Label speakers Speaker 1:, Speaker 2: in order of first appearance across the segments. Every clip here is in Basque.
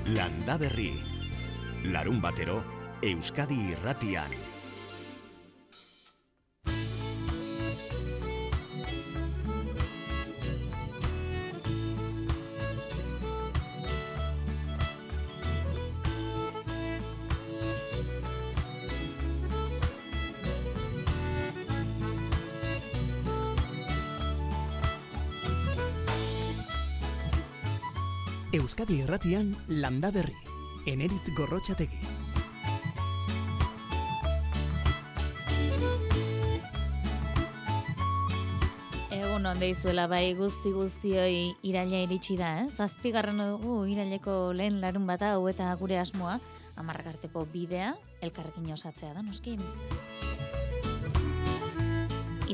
Speaker 1: Landaberri. Larunbatero, Euskadi Irratian.
Speaker 2: Euskadi Irratian Landaberri, Eneritz Gorrotxategi.
Speaker 3: Egun on deizuela bai guztioi iraila iritsi da, Zazpigarren dugu iraileko lehen larun bata hau eta gure asmoa, 10 arteko bidea, elkarrekin osatzea da, noski.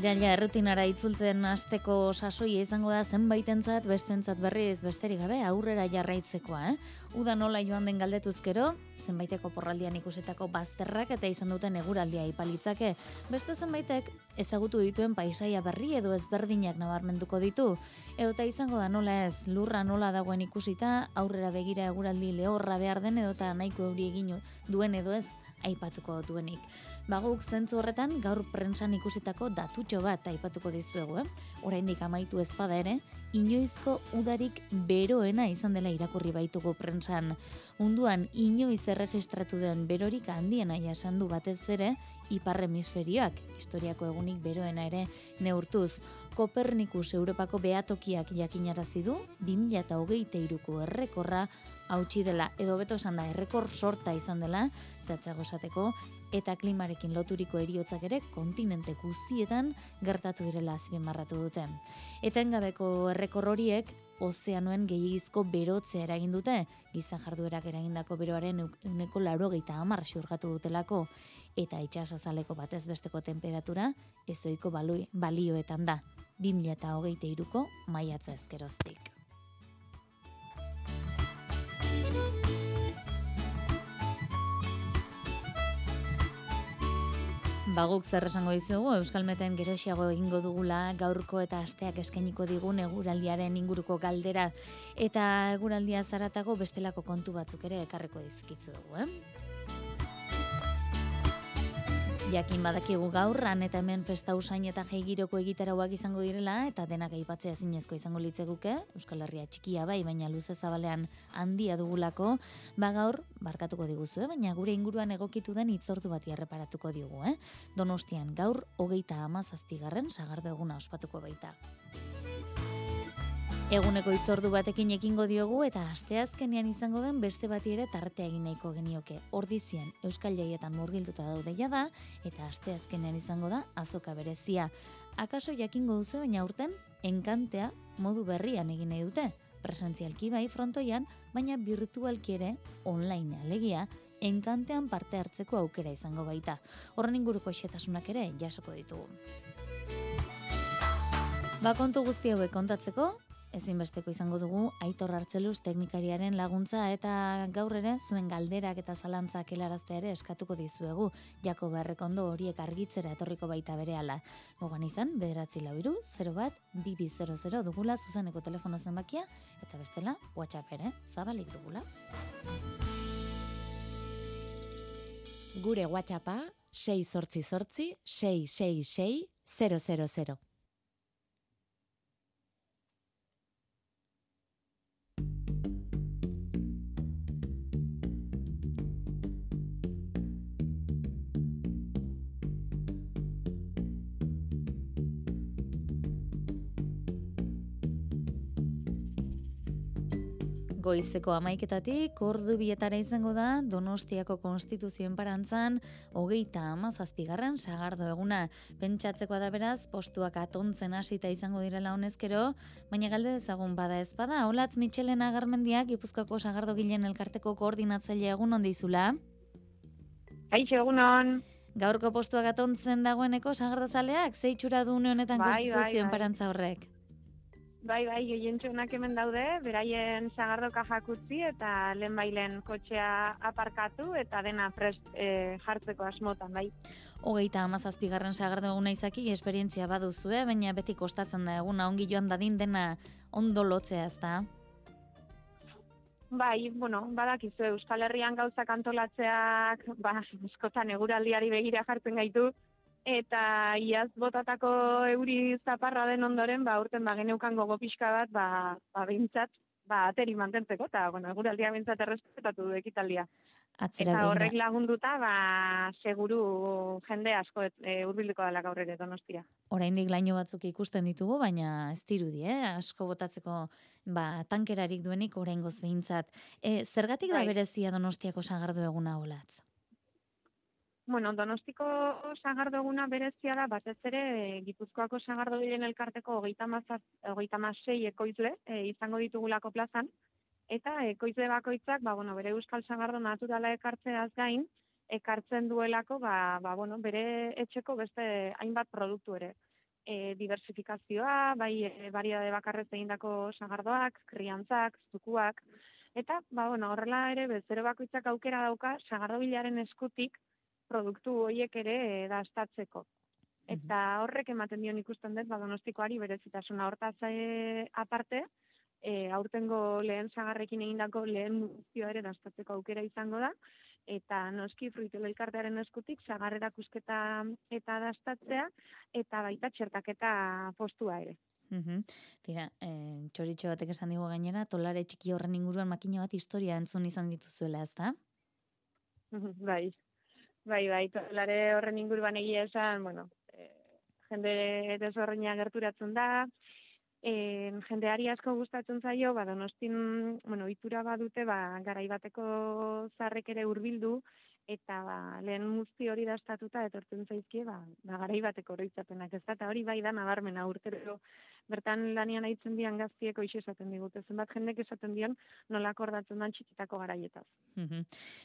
Speaker 3: Iraila errutinara itzultzen hasteko sasoia izango da zenbaitentzat, bestentzat berriz besterik gabe aurrera jarraitzekoa. Uda nola joan den galdetuzkero, zenbaiteko porraldian ikusitako bazterrak eta izan duten eguraldia ipalitzake, beste zenbaitek ezagutu dituen paisaia berri edo ezberdinak nabarmenduko ditu. Eta izango da nola ez, lurra nola dagoen ikusita, aurrera begira eguraldi lehorra behar den edota nahiko euri egin duen edo ez aipatuko duenik. Baguk zentzu horretan gaur prentsan ikusitako datutxo bat aipatuko dizuegu, Oraindik amaitu ezpada ere, inoizko udarik beroena izan dela irakurri baitugu prentsan. Munduan inoiz erregistratu den berorik handiena jasan du batez ere ipar hemisferioak, historiako egunik beroena ere neurtuz. Kopernikus Europako behatokiak jakinarazi du 2023ko errekorra hautsi dela, edo beto esan da errekor sorta izan dela, zehatzago esateko, eta klimarekin loturiko heriotzak ere kontinente guztietan gertatu direla azpimarratu dute. Etengabeko errekor horiek ozeanoen gehiagizko berotzea eragin dute, giza jarduerak eragindako beroaren 80% xurgatu dutelako, eta itsasazaleko batez besteko temperatura ezohiko balioetan da, 2023ko maiatza ezkeroztik. Baguk zer esango dizugu, Euskalmeten geroxiago egingo dugula gaurko eta asteak eskainiko digun eguraldiaren inguruko galdera, eta eguraldia zaratago bestelako kontu batzuk ere ekarriko dizkitzuegu, Jakin badakigu gaur, han eta hemen festa usain eta jaigiroko egitarauak izango direla, eta denak aipatzea ezinezko izango litzeguke, Euskal Herria txikia bai, baina luze zabalean handia dugulako, gaur, barkatuko diguzue, baina gure inguruan egokitu den hitzordu bati erreparatuko diogu, Donostian gaur, 37. sagardo eguna ospatuko baita. Eguneko hitzordu batekin ekingo diogu eta asteazkenean izango den beste bati ere tartea egin nahiko genioke. Ordizien Euskal Jaietan murgilduta daude jada eta asteazkenean izango da azoka berezia. Akaso jakingo duzu baina aurten enkantea modu berrian egin nahi dute. Presentzialki bai frontoian, baina virtualki ere online alegia enkantean parte hartzeko aukera izango baita. Horren inguruko xehetasunak ere jasoko ditugu. Kontu guzti hauek kontatzeko, ezinbesteko izango dugu Aitor Artzeluz teknikariaren laguntza eta gaur ere zuen galderak eta zalantzak helaraztea ere eskatuko dizuegu. Jakob Errekondo horiek argitzera etorriko baita berehala. Gogoan izan 944-01-2200 dugula zuzeneko telefono zenbakia eta bestela WhatsApp ere zabalik dugula.
Speaker 4: Gure WhatsAppa 688 666 000.
Speaker 3: Goizeko 11:00 ordu bietara izango da Donostiako Konstituzioen parantzan 37. sagardo eguna. Pentsatzekoa da beraz, postuak atontzen hasita izango direla honezkero, baina galde dezagun bada ez bada. Olatz Mitxelena Garmendiak Gipuzkoako sagardo gilen elkarteko koordinatzailea egun on dizula.
Speaker 5: Kaixo egunon.
Speaker 3: Gaurko postuak atontzen dagoeneko sagardozaleak ze itxura du une honetan Konstituzioen parantza horrek?
Speaker 5: Bai, gehientsunak hemen daude, beraien sagardoka jakutzi eta lehenbailen kotxea aparkatu eta dena prest jartzeko asmotan, bai.
Speaker 3: 37. sagardo eguna izaki esperientzia baduzue, baina beti kostatzen da eguna ongi joan dadin dena ondo lotzea, ezta?
Speaker 5: Bai, bueno, badakizu Euskal Herrian gauzak antolatzeak, askotan eguraldiari begira jartzen gaitu, eta iaz botatako euri zaparra den ondoren, aurten geneukan gogo pixka bat, behintzat, ateri mantentzeko, eta, bueno, eguraldia behintzat errespetatu du ekitaldia.
Speaker 3: Atzera
Speaker 5: Eta
Speaker 3: begira.
Speaker 5: horrek lagunduta, seguru jende asko hurbilduko dela gaur ere Donostia.
Speaker 3: Oraindik laino batzuk ikusten ditugu, baina ez dirudi, asko botatzeko tankerarik duenik oraingoz behintzat. Zergatik da
Speaker 5: Bai.
Speaker 3: berezia Donostiako sagardo eguna Olatz?
Speaker 5: Bueno, Donostiko sagardo eguna berezia da, batez ere Gipuzkoako sagardogileen elkarteko 36 ekoizle izango ditugulako plazan, eta ekoizle bakoitzak, bere euskal sagardo naturala ekartzeaz gain, ekartzen duelako, bere etxeko beste hainbat produktu ere. Diversifikazioa, variedade bakarrez egindako sagardoak, kriantzak, zukuak, eta, horrela ere, bezero bakoitzak aukera dauka, sagardobilaren eskutik produktu horiek ere dastatzeko. Eta horrek ematen dion ikusten dut, Donostikoari berezitasuna hortaz aparte, aurtengo lehen sagarrekin egindako lehen muzioa ere dastatzeko aukera izango da, eta noski fruitelo elkartearen eskutik sagar erakusketa eta dastatzea, eta baita txertaketa postua ere.
Speaker 3: Tira, txoritxo batek esan digu gainera, tolare txiki horren inguruan makina bat historia entzun izan dituzuela, ezta?
Speaker 5: Bai, tolare horren inguruan egia esan, jende desberdina gerturatzen da, jendeari asko gustatzen zaio, Donostin, ohitura badute, garai bateko zarrek ere hurbildu, eta lehen muzti hori dastatuta etortzen zaizkie, garai bateko oroitzapenak, ez da, eta hori bai da nabarmena urtero bertan lanian aitzen dian gaztiek hoxe esaten digute, zenbat jendek esaten dion nolako ordatzen dan txikitako garaietaz.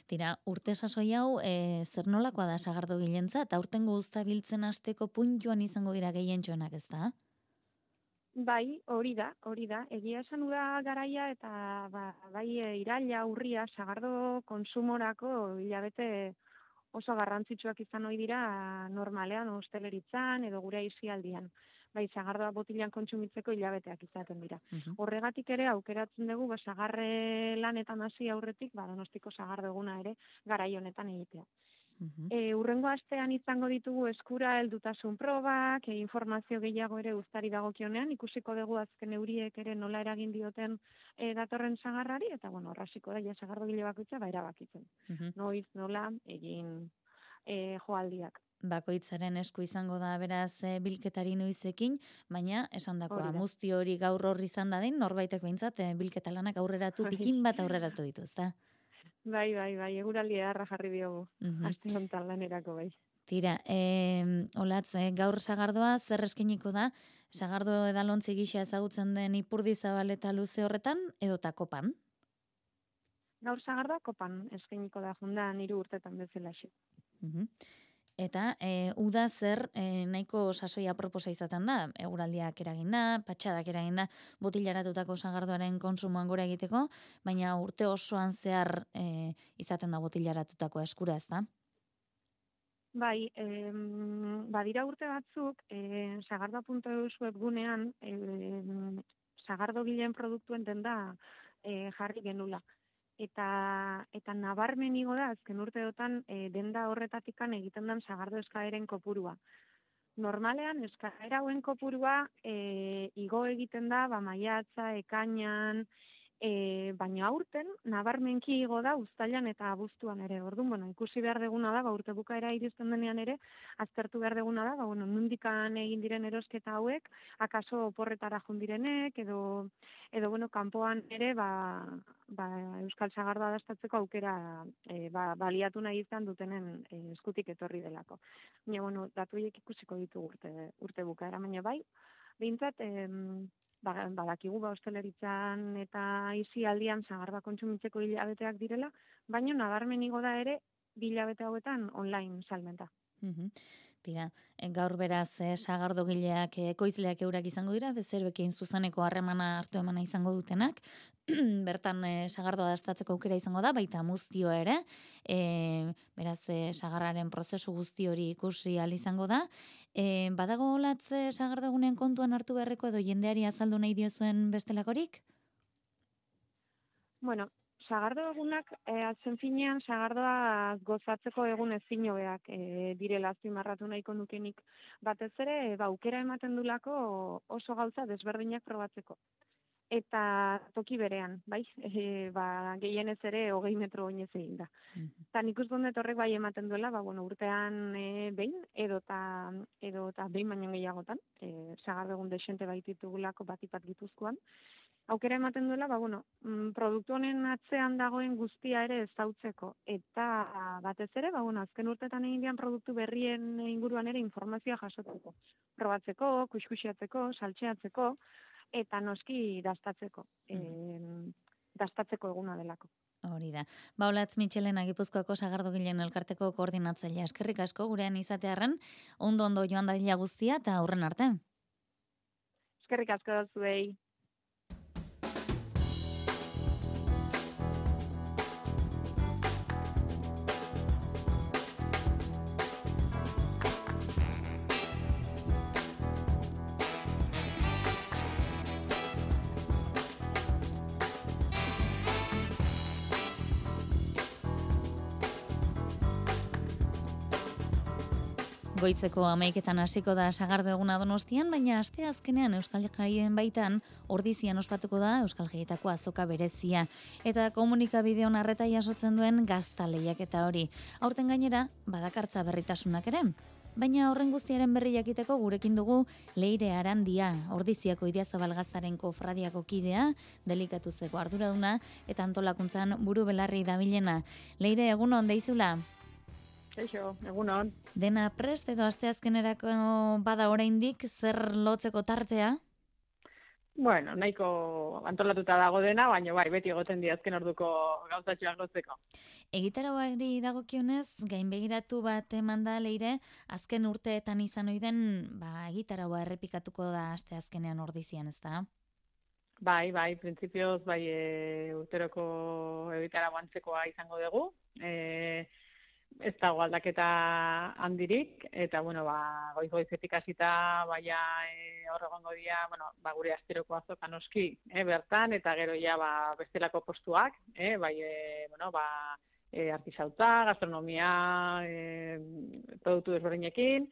Speaker 3: Tira, urte sasoi hau, zer nolakoa da sagardo gilentza, eta aurtengo uztabiltzen hasteko puntuan izango dira gehientxoenak, ez da?
Speaker 5: Bai, hori da. Egia esan uda garaia eta iraila, urria, sagardo konsumorako hilabete oso garrantzitsuak izan ohi dira normalean, hosteleritzan edo gure aisialdian. Bai, sagardoa botilan kontsumitzeko hilabeteak izaten dira. Horregatik ere aukeratzen dugu sagarre lanetan hasi aurretik, Donostiko sagardo eguna ere garai honetan egitea. Hurrengo astean izango ditugu eskura heldutasun probak, informazio gehiago ere uztari dagokionean, ikusiko dugu azken euriek ere nola eragin dioten datorren sagarrari, eta horrasiko da sagardogile bakoitza erabakitzen. Noiz, nola, egin joaldiak.
Speaker 3: Bakoitzaren esku izango da beraz bilketari noizekin, baina esandakoa muzti hori gaur horri izan dadin, norbaitek behintzat bilketa lanak aurreratu, pikin bat aurreratu ditu, ezta?
Speaker 5: Bai, eguraldi edarra jarri diogu, aste honetan lanerako bai.
Speaker 3: Tira, Olatz, gaur sagardoa zer eskeniko da, sagardo edalontzi gisa ezagutzen den Ipurdi Zabal eta luze horretan, edota kopan?
Speaker 5: Gaur sagardoa kopan eskeniko da, jundan 3 urtetan bezalaxe.
Speaker 3: Eta uda zer nahiko sasoia proposa izaten da, eguraldiak eraginda, patxadak eraginda, botilaratutako sagardoaren konsumoan gora egiteko, baina urte osoan zehar izaten da botilaratutako eskura, ez da?
Speaker 5: Bai, badira urte batzuk, sagardoa.eus webgunean, sagardogileen produktuen denda jarri genula. Eta nabarmen igo da, azken urteotan denda horretatikan egiten den sagardo eskaeren kopurua. Normalean, eskaera hauen kopurua igo egiten da, maiatza, ekainan, baina aurten nabarmenki igo da uztailan eta abuztuan ere. Orduan, ikusi behar deguna da, urte bukaera iristen denean ere, aztertu behar deguna da, nondikan egin diren erosketa hauek, akaso oporretara jundirenek, edo kanpoan ere, Euskal Sagardoa dastatzeko aukera baliatu nahi izan dutenen eskutik etorri delako. Baina, datu horiek ikusiko ditugu urte bukaera, baina bai, behintzat, badakigu hosteleritzan eta aisialdian sagardoa kontsumitzeko hilabeteak direla, baina nabarmen igo da ere hilabete hauetan online salmenta.
Speaker 3: Tira, gaur beraz sagardogileak ekoizleak eurak izango dira, bezeroekin zuzeneko harremana hartu emana izango dutenak, bertan sagardoa dastatzeko aukera izango da, baita muztioa ere, beraz sagarraren prozesu guzti hori ikusi ahal izango da. Badago Olatz sagardogunean kontuan hartu beharreko edo jendeari azaldu nahi diozuen bestelakorik?
Speaker 5: Bueno, sagardo egunak, azken finean, sagardoa gozatzeko egun ezin hobeak direla azpimarratu nahiko nukenik. Batez ere, aukera ematen dulako oso gauza desberdinak probatzeko. Eta toki berean, bai, gehienez ere 20 metro oinez egin da. Eta nik uste dut horrek bai ematen duela, urtean behin, edota behin baino gehiagotan, sagardo egun desente baititugulako batipat Gipuzkoan, aukera ematen duela, produktu honen atzean dagoen guztia ere ezautzeko. Eta batez ere, azken urtetan egin dian produktu berrien inguruan ere informazioa jasotzeko. Probatzeko, kuskusiatzeko, saltxeatzeko, eta noski dastatzeko. Dastatzeko eguna delako.
Speaker 3: Hori da. Olatz Mitxelena Gipuzkoako sagardogileen elkarteko koordinatzailea. Eskerrik asko gurean izatearren, ondo joan dadila guztia eta aurren arte.
Speaker 5: Eskerrik asko zuei.
Speaker 3: Goizeko 11etan hasiko da sagardo eguna Donostian, baina asteazkenean Euskal Jaien baitan ordizian ospatuko da Euskal Jaietako azoka berezia eta komunikabide onarreta jasotzen duen gazta lehiaketa hori. Aurten gainera badakartza berritasunak ere. Baina horren guztiaren berri jakiteko gurekin dugu Leire Arandia, Ordiziako Idiazabal Gaztaren kofradiako kidea, delikatuzeko arduraduna eta antolakuntzan buru belarri dabilena. Leire, egunon deizula?
Speaker 5: Eixo, egunon.
Speaker 3: Dena prest edo asteazkenerako bada oraindik zer lotzeko tartea?
Speaker 6: Bueno, nahiko antolatuta dago dena, baina bai, beti egoten di azken orduko gauzatxoak lotzeko.
Speaker 3: Egitaragoari dagokionez, gainbegiratu bat eman da Leire, azken urteetan izan ohi den, egitaragoa errepikatuko da asteazkenean Ordizian, ezta?
Speaker 6: Bai, printzipioz, urteroko egitarago antzekoa izango dugu. Ez dago aldaketa handirik, eta, goiz-goizetik hasita, hor egongo dira, gure asteroko azoka noski, bertan, eta gero ja, bestelako postuak, artisautza, gastronomia, produktu desberdinekin,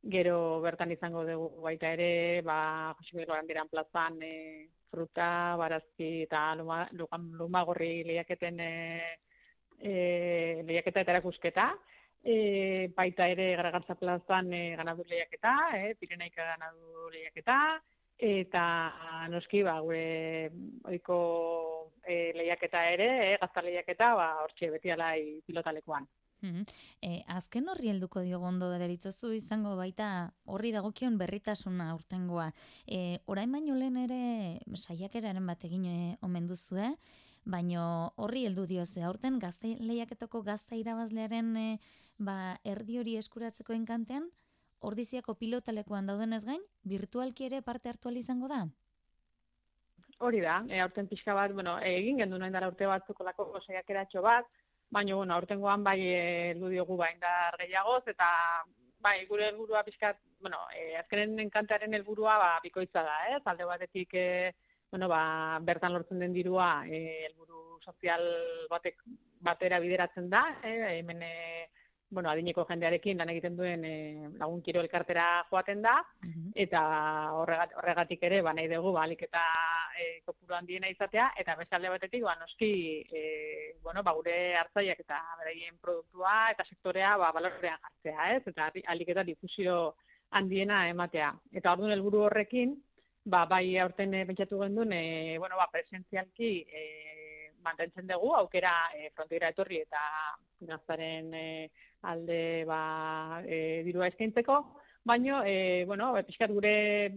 Speaker 6: gero bertan izango dugu baita ere, Jose Miguel Barandiaran plazan, fruta, barazki, eta lumagorri lehiaketen lehiaketa eta erakusketa, baita ere Garagartza plazan ganadu lehiaketa, Pirenaika ganadu lehiaketa, eta noski gure ohiko lehiaketa ere, gazta lehiaketa, hortxe beti alai pilotalekuan.
Speaker 3: Azken horri helduko diogu ondo deritzozu izango baita horri dagokion berritasuna aurtengoa. Orain baino lehen ere saiakeraren bat egin omen duzue, baina horri heldu diozue aurten gazte lehiaketako gazta irabazlearen erdi hori eskuratzeko enkantean, Ordiziako pilotalekuan daudenez gain, virtualki ere parte hartu ahal izango da?
Speaker 6: Hori da, aurten pixka bat, egin gendu noin dara urte batzukolako saiakeratxo bat, baina, aurtengoan heldu diogu indar gehiagoz, eta gure helburua pixkat, azkenen enkantearen helburua bikoitza da, alde batetik, bertan lortzen den dirua helburu sozial batera bideratzen da, hemen adineko jendearekin lan egiten duen lagun kiro elkartera joaten da, eta horregatik ere nahi dugu alik eta kopuru handiena izatea, eta beste alde batetik noski gure hartzaileak eta beraien produktua eta sektorea balorean jartzea, eta alik eta difusio handiena ematea. Eta orduan helburu horrekin, aurten pentsatu gendun, presentzialki mantentzen dugu, aukera frontoira etorri eta gaztaren alde dirua eskaintzeko, baina, pixkat gure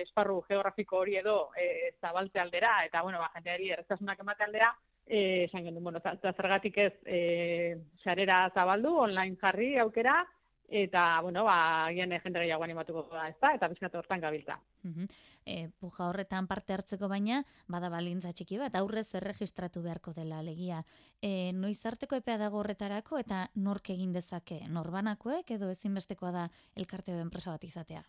Speaker 6: esparru geografiko hori edo zabaltze aldera, eta, jendeari erreztasunak emate aldera, esan gendun, zergatik ez sarera zabaldu, online jarri aukera, eta, agian jende gehiago animatuko da, eta pixkat hortan gabiltza.
Speaker 3: Puja horretan parte hartzeko baina, bada balintza txiki bat, aurrez erregistratu beharko dela alegia. Noiz arteko epea dago horretarako eta nork egin dezake? Norbanakoek edo ezinbestekoa da elkarte edo enpresa bat izatea?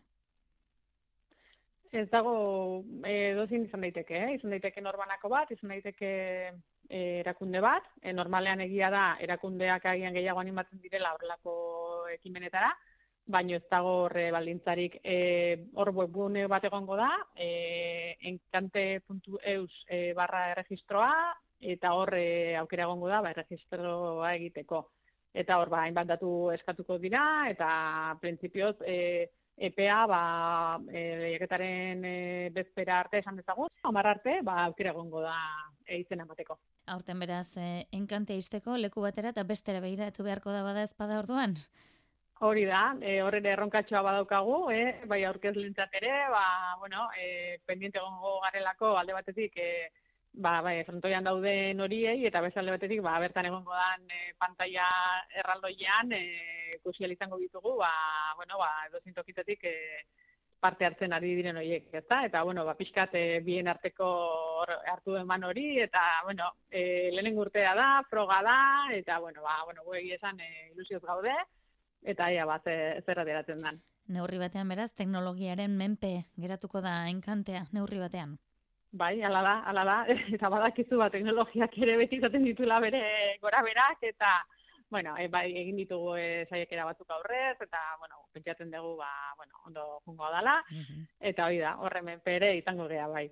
Speaker 6: Ez dago dozin izan daiteke, izan daiteke norbanako bat, izan daiteke erakunde bat, normalean egia da erakundeak agian gehiago animatzen direla horrelako ekimenetara, baina ez dago horre baldintzarik. Hor webgune bat egongo da, enkante.eus /erregistroa, eta hor aukera egongo da erregistroa egiteko. Eta hor hainbat datu eskatuko dira, eta printzipioz EPA lehiaketaren bezpera arte esan dezagun, 10 arte aukera egongo da izena emateko.
Speaker 3: Aurten beraz, enkantea izteko leku batera eta bestera begiratu beharko da bada ezpada orduan?
Speaker 6: Hori da, horre erronkatxoa badaukagu, bai aurkezlentzat ere, pendiente egongo garelako alde batetik, frontoian dauden horiei, eta beste alde batetik, bertan egongo dan pantalla erraldoian, ikusi izango ditugu, edozein tokitatik parte hartzen ari diren horiek, ezta? Eta, pixkat bien arteko hartu eman hori, eta, lehenengo urtea da, froga da, eta, guegi esan ilusioz gaude, eta zer aderatzen den.
Speaker 3: Neurri batean beraz, teknologiaren menpe geratuko da enkantea, neurri batean.
Speaker 6: Bai, hala da, eta badakizu teknologiak ere beti izaten ditula bere gora berak, eta, egin ditugu saiakera batzuk aurrez, eta, pentsatzen dugu, ondo jungo dala, eta hori da, horre menpere izango gea, bai.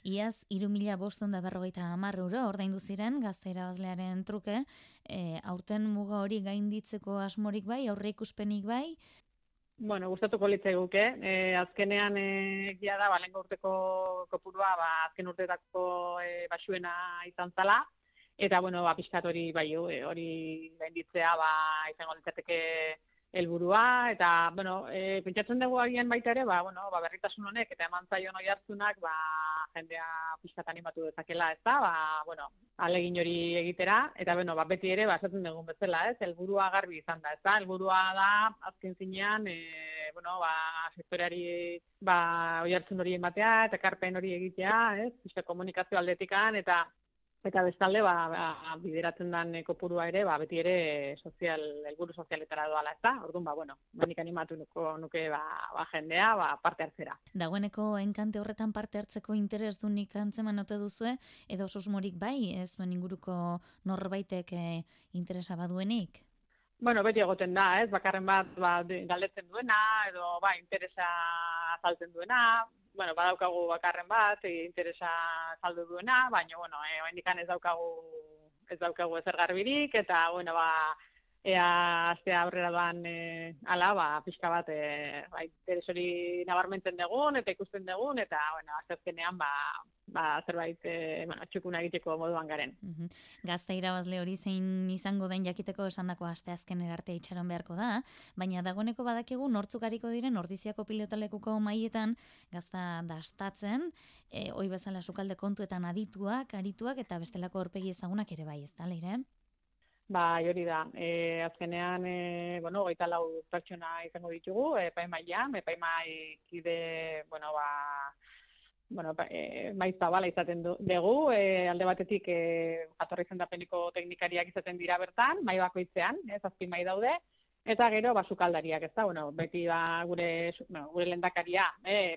Speaker 3: Iaz, 3.550 euro ordaindu ziren gazte irabazlearen truke, aurten muga hori gainditzeko asmorik bai, aurre ikuspenik bai?
Speaker 6: Gustatuko litzaiguke, azkenean egia da, lehengo urteko kopurua, azken urteetako basuena izan zala, eta, pixkat hori gainditzea izango litzateke helburua, eta, pentsatzen dugu agian baita ere, berritasun honek eta eman zaion oihartzunak, jendea pixkat animatu dezakela, ez da, alegin hori egitera, eta, beti ere, esaten dugun bezala, ez, helburua garbi izan da, ez da, helburua da, azken zinean, sektoreari, oihartzun hori ematea, eta ekarpen hori egitea, ez, pixkat komunikazio aldetikan, eta bestalde, bideratzen den kopurua ere, beti ere helburu sozialetara doala, ez da? Orduan, nik animatu nuke jendea parte hartzera.
Speaker 3: Dagoeneko enkante horretan parte hartzeko interesdunik antzeman ote duzue, edo susmorik bai, ez zuen inguruko norbaitek interesa baduenik?
Speaker 6: Beti egoten da, ez? Bakarren bat galdetzen duena, edo interesa azaltzen duena, badaukagu bakarren bat, interesa saldu duena, baina, oraindik ez daukagu ezer garbirik, eta, ea astea aurrera doan pixka bat interes hori nabarmentzen dugun, eta ikusten dugun, eta, azkenean, zerbait txukuna egiteko moduan garen.
Speaker 3: Gazte irabazle hori zein izango den jakiteko esandako asteazkenera arte itxaron beharko da, baina dagoeneko badakigu nortzuk ariko diren Ordiziako pilotalekuko maietan gazta dastatzen, hoi bezala sukalde kontuetan arituak, eta bestelako aurpegi ezagunak ere bai, ez da, Leire?
Speaker 6: Hori da. Azkenean, 24 pertsona izango ditugu, epaimaian, epaimaikide, maiz zabala izaten dugu, alde batetik jatorri izendapeneko teknikariak izaten dira bertan, mai bakoitzean, 7 mai daude, eta gero sukaldariak, ez da, beti gure lehendakaria,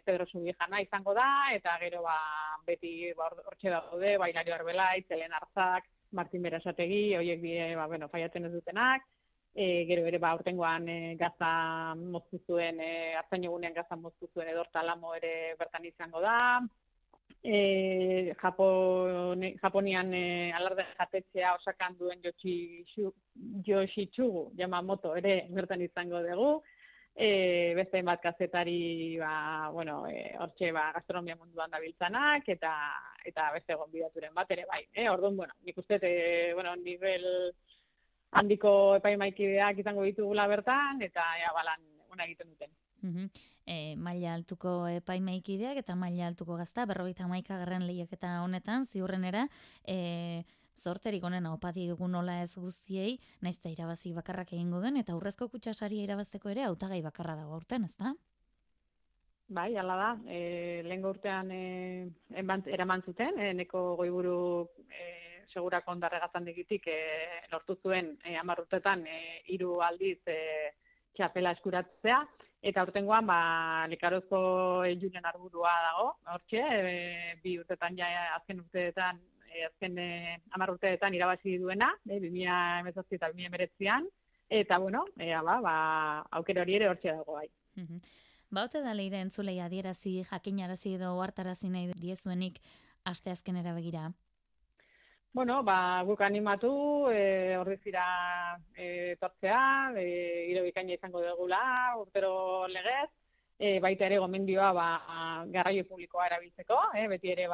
Speaker 6: Pedro Subijana izango da, eta gero beti hortxe daude, Hilario Arbelaitz, Elena Arzak, Martin Berasategi, horiek faiatzen ez dutenak, gero ere aurtengoan gaza moztu zuen, hartzain egunean gaza moztu zuen Edorta Lamo ere bertan izango da, Japonian alarde jatetxea Osakan duen Yoshitsugu Yamamoto ere bertan izango dugu, beste bat kazetari hortxe gastronomia munduan dabiltzanak, eta beste gonbidaturen bat ere bai. Orduan, nik uste, nivel handiko epaimaikideak izango ditugula bertan, eta balan ona egiten duten.
Speaker 3: Maila altuko epaimaikideak eta maila altuko gazta, 51. lehiaketa honetan, ziurrenera, zorterik onena opa digu nola ez guztiei, naiz eta irabazi bakarrak egingo den, eta aurrezko kutxasaria irabazteko ere hautagai bakarra dago aurten, ez da?
Speaker 6: Bai, hala da. Lehengo urtean eraman zuten, neko goiburu segurako ondarre gaztandegitik lortu zuen 10 urtetan 3 aldiz txapela eskuratzea, Eta aurtengoan, Lekarozko Julen Arburua dago, hortxe, 2 urtetan azken urteetan, azken 10 urteetan irabazi duena, 2018 eta 2019an, eta bueno, aukera hori ere hortxe dago bai.
Speaker 3: Ote da leire entzulei adierazi, jakinarazi edo ohartarazi nahi diezuenik asteazkenera begira?
Speaker 6: Bueno, guk animatu, ordizira etortzea, giro bikaina izango dugula, urtero legez, baita ere gomendioa garraio publikoa erabiltzeko, beti ere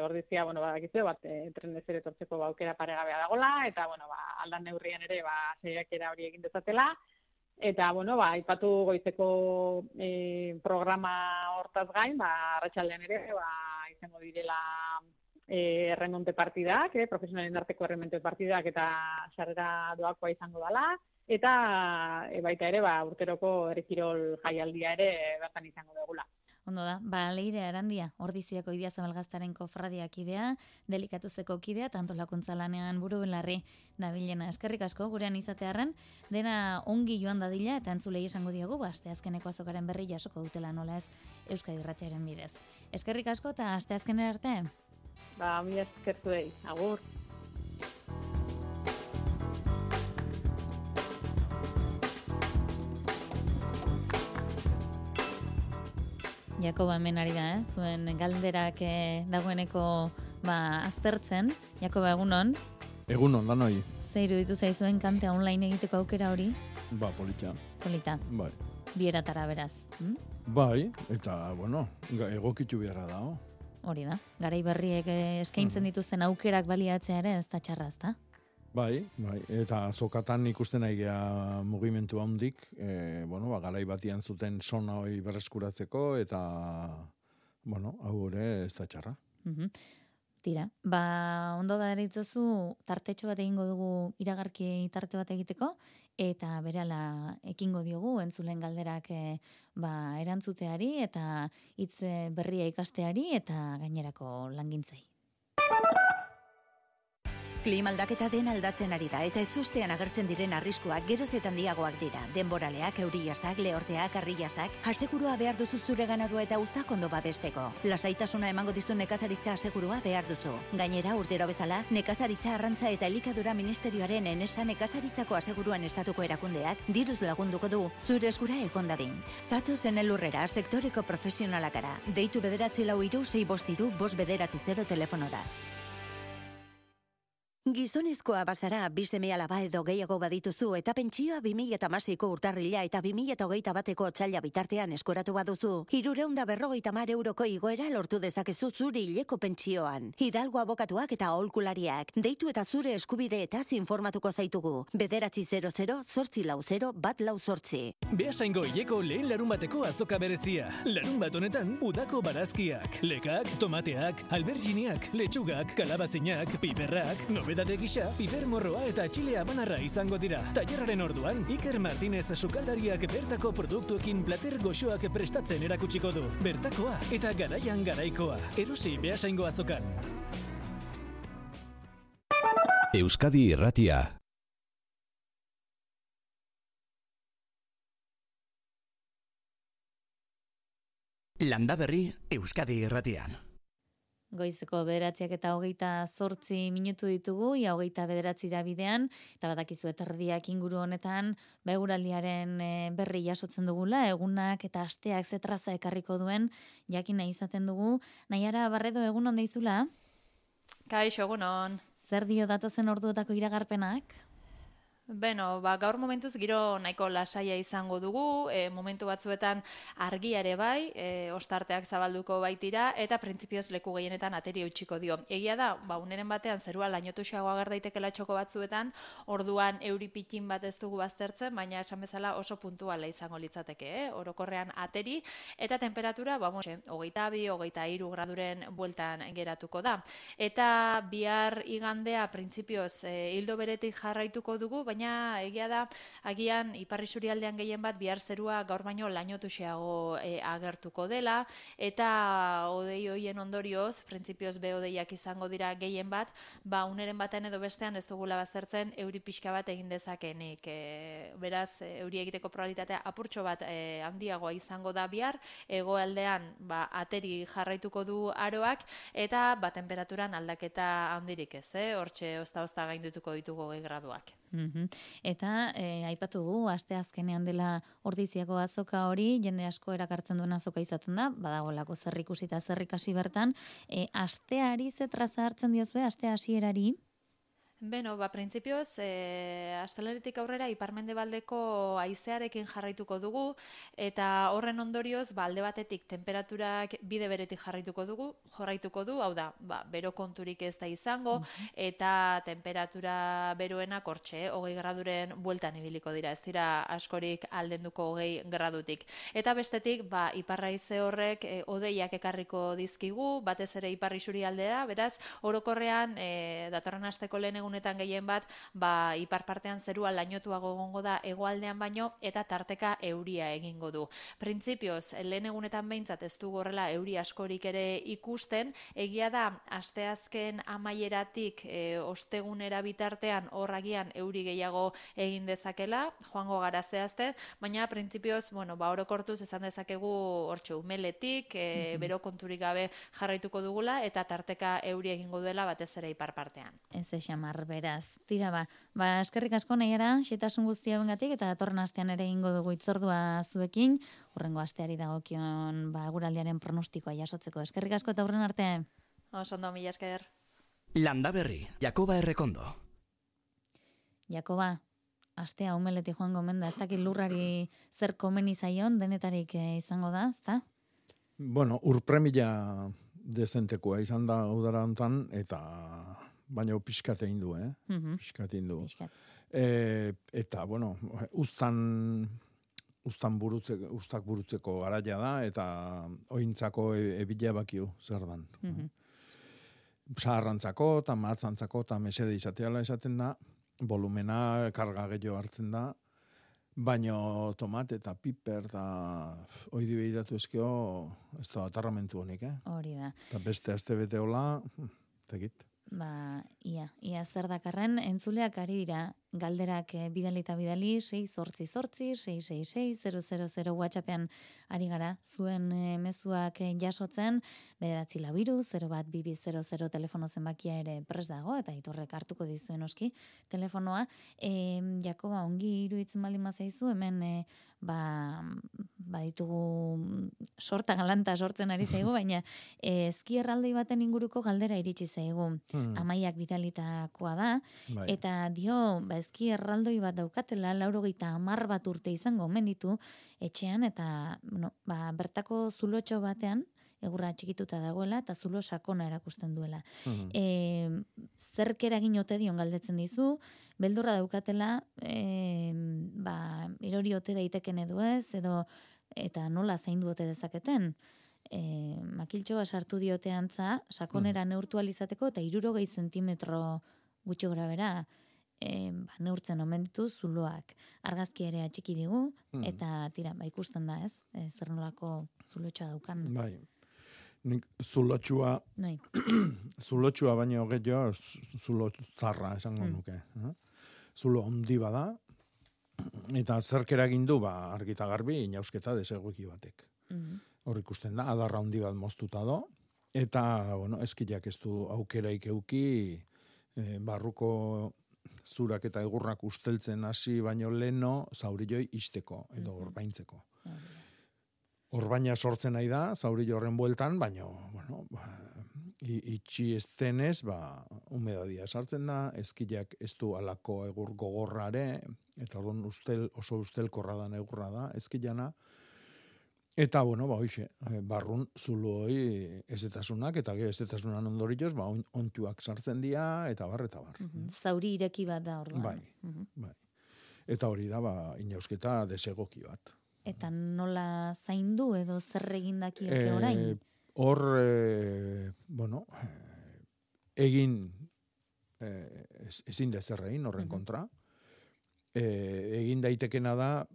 Speaker 6: ordizia, badakizu, trenez ere etortzeko aukera paregabea dagola, eta aldan neurrian ere saiakera hori egin dezatela, eta aipatu goizeko programa hortaz gain, arratsaldean ere izango direla erremonte partidak, profesionalen arteko erremonte partidak eta sarrera doakoa izango dela, eta baita ere urteroko herri kirol jaialdia ere bertan izango dugula.
Speaker 3: Ondo da, Leire Arandia, Ordiziako Idiazabalgaztaren kofradiak idea, Delikatuzeko kidea, eta antolakuntza lanean buru belarri dabilena. Eskerrik asko, gurean izatearren, dena ongi joan dadila, eta entzulei esango diogu, asteazkeneko azokaren berri jasoko dutela nola ez Euskadi Irratiaren bidez. Eskerrik asko, eta asteazkenera arte?
Speaker 6: Mila eskertu dei, agur.
Speaker 3: Jakoba hemen ari da, zuen galderak dagoeneko aztertzen. Jakoba, egunon?
Speaker 7: Egunon, danoi.
Speaker 3: Zer iruditu zaizuen kante online egiteko aukera hori?
Speaker 7: Polita.
Speaker 3: Polita.
Speaker 7: Bai.
Speaker 3: Bieratara beraz.
Speaker 7: Bai, eta, egokitu beharra da.
Speaker 3: Hori da. Garai berriek eskaintzen dituzten aukerak baliatzea ere ez da txarra, ezta?
Speaker 7: Bai, eta azokatan ikusten nahi gea mugimendu handik, garai batian zuten sona hori berreskuratzeko, eta, hau ere ez da txarra.
Speaker 3: Tira, ondo da deritzozu, tartetxo bat egingo dugu iragarki tarte bat egiteko, eta berala ekingo diogu entzulen galderak erantzuteari, eta hitz berria ikasteari, eta gainerako langintzei.
Speaker 8: Klimaldaketa den aldatzen ari da eta ezustean agertzen diren arriskuak geroz eta handiagoak dira. Denboraleak, euriasak, lehorteak, harriasak, asegurua behar duzu zure ganadua eta uztak ondo babesteko. Lasaitasuna emango dizu nekazaritza asegurua behar duzu. Gainera, urtero bezala, nekazaritza arrantza eta elikadura ministerioaren enesa nekazaritzako aseguruan estatuko erakundeak diruz lagunduko du zure eskura egon dadin. Zatozen elurrera, sektoreko profesionalakara. Deitu 94353 telefonora. Gizonezkoa bazara, 2 seme-alaba edo gehiago badituzu eta pentsioa 2016ko urtarrila eta 2021ko otsaila bitartean eskuratu baduzu, 350 euroko igoera lortu dezakezu zure hileko pentsioan. Hidalgo abokatuak eta aholkulariak, deitu eta zure eskubideetaz informatuko zaitugu. 900-840-148.
Speaker 9: Beasaingo hileko lehen larunbateko azoka berezia. Larunbat honetan, udako barazkiak, lekak, tomateak, alberginiak, letxugak, kalabazinak, piperrak, nobedade gisa, piper morroa eta txile habanarra izango dira. Tailerraren orduan, Iker Martinez sukaldariak bertako produktuekin plater goxoak prestatzen erakutsiko du. Bertakoa eta garaian garaikoa. Erosi Beasaingo azokan.
Speaker 1: Euskadi Irratia.
Speaker 2: Landaberri Euskadi Irratian.
Speaker 3: Goizeko 9:28 minutu ditugu, ia 29 bidean, eta badakizu erdiak inguru honetan, eguraldiaren berri jasotzen dugula, egunak eta asteak zetraza ekarriko duen, jakin nahi izaten dugu. Naiara Barredo, egun on deizula?
Speaker 10: Kaixo, egunon.
Speaker 3: Zer dio datozen orduetako iragarpenak?
Speaker 10: Beno, gaur momentuz giro nahiko lasaia izango dugu, momentu batzuetan argia ere bai, ostarteak zabalduko baitira, eta printzipioz leku gehienetan ateri eutxiko dio. Egia da, uneren batean zerua lainotuxeago ager daitekela txoko batzuetan, orduan euripitin bat ez dugu baztertzen, baina esan bezala oso puntuala izango litzateke, orokorrean ateri, eta temperatura, 22-23 graduren bueltan geratuko da. Eta bihar igandea printzipioz hildo beretik jarraituko dugu, baina egia da, agian ipar isurialdean gehien bat bihar zerua gaur baino lainotuxeago agertuko dela, eta hodei hoien ondorioz, printzipioz hodeiak izango dira gehien bat, uneren batean edo bestean ez dugula baztertzen euri pixka bat egin dezakenik. Beraz, euri egiteko probabilitatea apurtxo bat handiagoa izango da bihar, hegoaldean ateri jarraituko du aroak, eta temperaturan aldaketa handirik ez, hortxe ozta gaindutuko ditugu 20 graduak.
Speaker 3: Eta aipatu du, aste azkenean dela Ordiziako azoka hori, jende asko erakartzen duen azoka izaten da, badagolako zer ikusi eta zer ikasi bertan, asteari ze traza hartzen diozue, aste hasierari?
Speaker 10: Beno, printzipioz, astelaritik aurrera iparmendebaldeko haizearekin jarraituko dugu, eta horren ondorioz, alde batetik temperaturak bide beretik jarraituko du, hau da, bero konturik ez da izango, eta temperatura beroenak hortxe, 20 graduren bueltan ibiliko dira, ez dira askorik aldenduko 20 gradutik. Eta bestetik, iparra haize horrek hodeiak ekarriko dizkigu, batez ere ipar isurialdera, beraz, orokorrean, datorren asteko lehen egunetan gehien bat, ipar partean zerua lainotuago egongo da hegoaldean baino, eta tarteka euria egingo du. Printzipioz, lehen egunetan behintzat ez du horrela euri askorik ere ikusten, egia da, asteazken amaieratik ostegunera bitartean horragian euri gehiago egin dezakela, joango gara zehazte, baina printzipioz, orokortuz esan dezakegu hortxe umeletik, bero konturik gabe jarraituko dugula, eta tarteka euri egingo dela batez ere ipar partean.
Speaker 3: Ez xamar, beraz. Tira eskerrik asko nahiara, xetasun guztia bengatik, eta datorren astean ere egingo dugu itzordua zuekin, hurrengo asteari dagokion eguraldiaren pronostikoa jasotzeko. Eskerrik asko eta hurren arte.
Speaker 10: Ondo, mila esker.
Speaker 2: Landa Berri, Jakoba Errekondo.
Speaker 3: Jakoba, astea umeletik joango menda, ez dakit lurrari zer komeni zaion, denetarik izango da, ezta?
Speaker 7: Bueno, urpremila dezentekoa izan da udara hontan, eta baina pixkat egin du, pixkat egin du. Eta, bueno, ustak burutzeko garaia da, eta ointzako ebila bakiu zer dan. Zaharrantzako, eta matzantzako, eta mesede izateala esaten da, volumena karga gehiago hartzen da, baino tomate eta piper eta oidi behiratu ezkio, ez da atarramentu honik,
Speaker 3: Hori da.
Speaker 7: Eta beste aste bete hola, tegit.
Speaker 3: Ia zer dakarren, entzuleak ari dira, galderak bidali eta bidali, 688-666-000 WhatsAppean ari gara, zuen mezuak jasotzen, 942-012200 telefono zenbakia ere pres dago, eta itorrek hartuko dizuen oski telefonoa. Jakoba, ongi iruditzen baldin mazaizu, hemen ditugu sorta galanta sortzen ari zaigu, baina ezki erraldoi baten inguruko galdera iritsi zaigu. Amaiak bidalitakoa da, eta dio, ezki erraldoi bat daukatela, 90 bat urte izango omen ditu etxean, eta bertako zulotxo batean, egurra txikituta dagoela, eta zulo sakona erakusten duela. Zerk eragin ote dion galdetzen dizu, beldurra daukatela, erori ote daiteken edo ez, eta nola zaindu ote dezaketen. Makiltxoa sartu diote antza, sakonera neurtualizateko, eta 60 zentimetro gutxi gora bera, neurtzen omen ditu zuloak. Argazki ere atxiki digu, eta tira, ikusten da ez, zer nolako zulotxoa daukan.
Speaker 7: Bai. Nik zulotxua baino gehiago zulo zarra esango nuke. Zulo handi bada, eta zerk eragin du argita garbi inausketa desegoki batek. Hor ikusten da, adarra handi bat moztuta do, eta eskiak ez du aukeraik euki barruko zurak eta egurrak usteltzen hasi baino leno zaurilloi isteko edo orbaintzeko. Orbaina sortzen nahi da, zaurillo horren bueltan, baino, itxi ez denez, humedadia sartzen da, eskiak ez du alako egur gogorrare, eta oso ustelkorra da egurra da, eskilana, eta, hoxe, barrun zulooi ezetasunak, eta ezetasunan ondorioz, ontuak sartzen dira, eta bar.
Speaker 3: Zauri ireki bat da orduan.
Speaker 7: Bai. Eta hori da, inausketa desegoki bat.
Speaker 3: Eta nola zaindu edo zer egindakioke orain?
Speaker 7: Hor, egin ezin da zer egin horren kontra. egin daitekena da,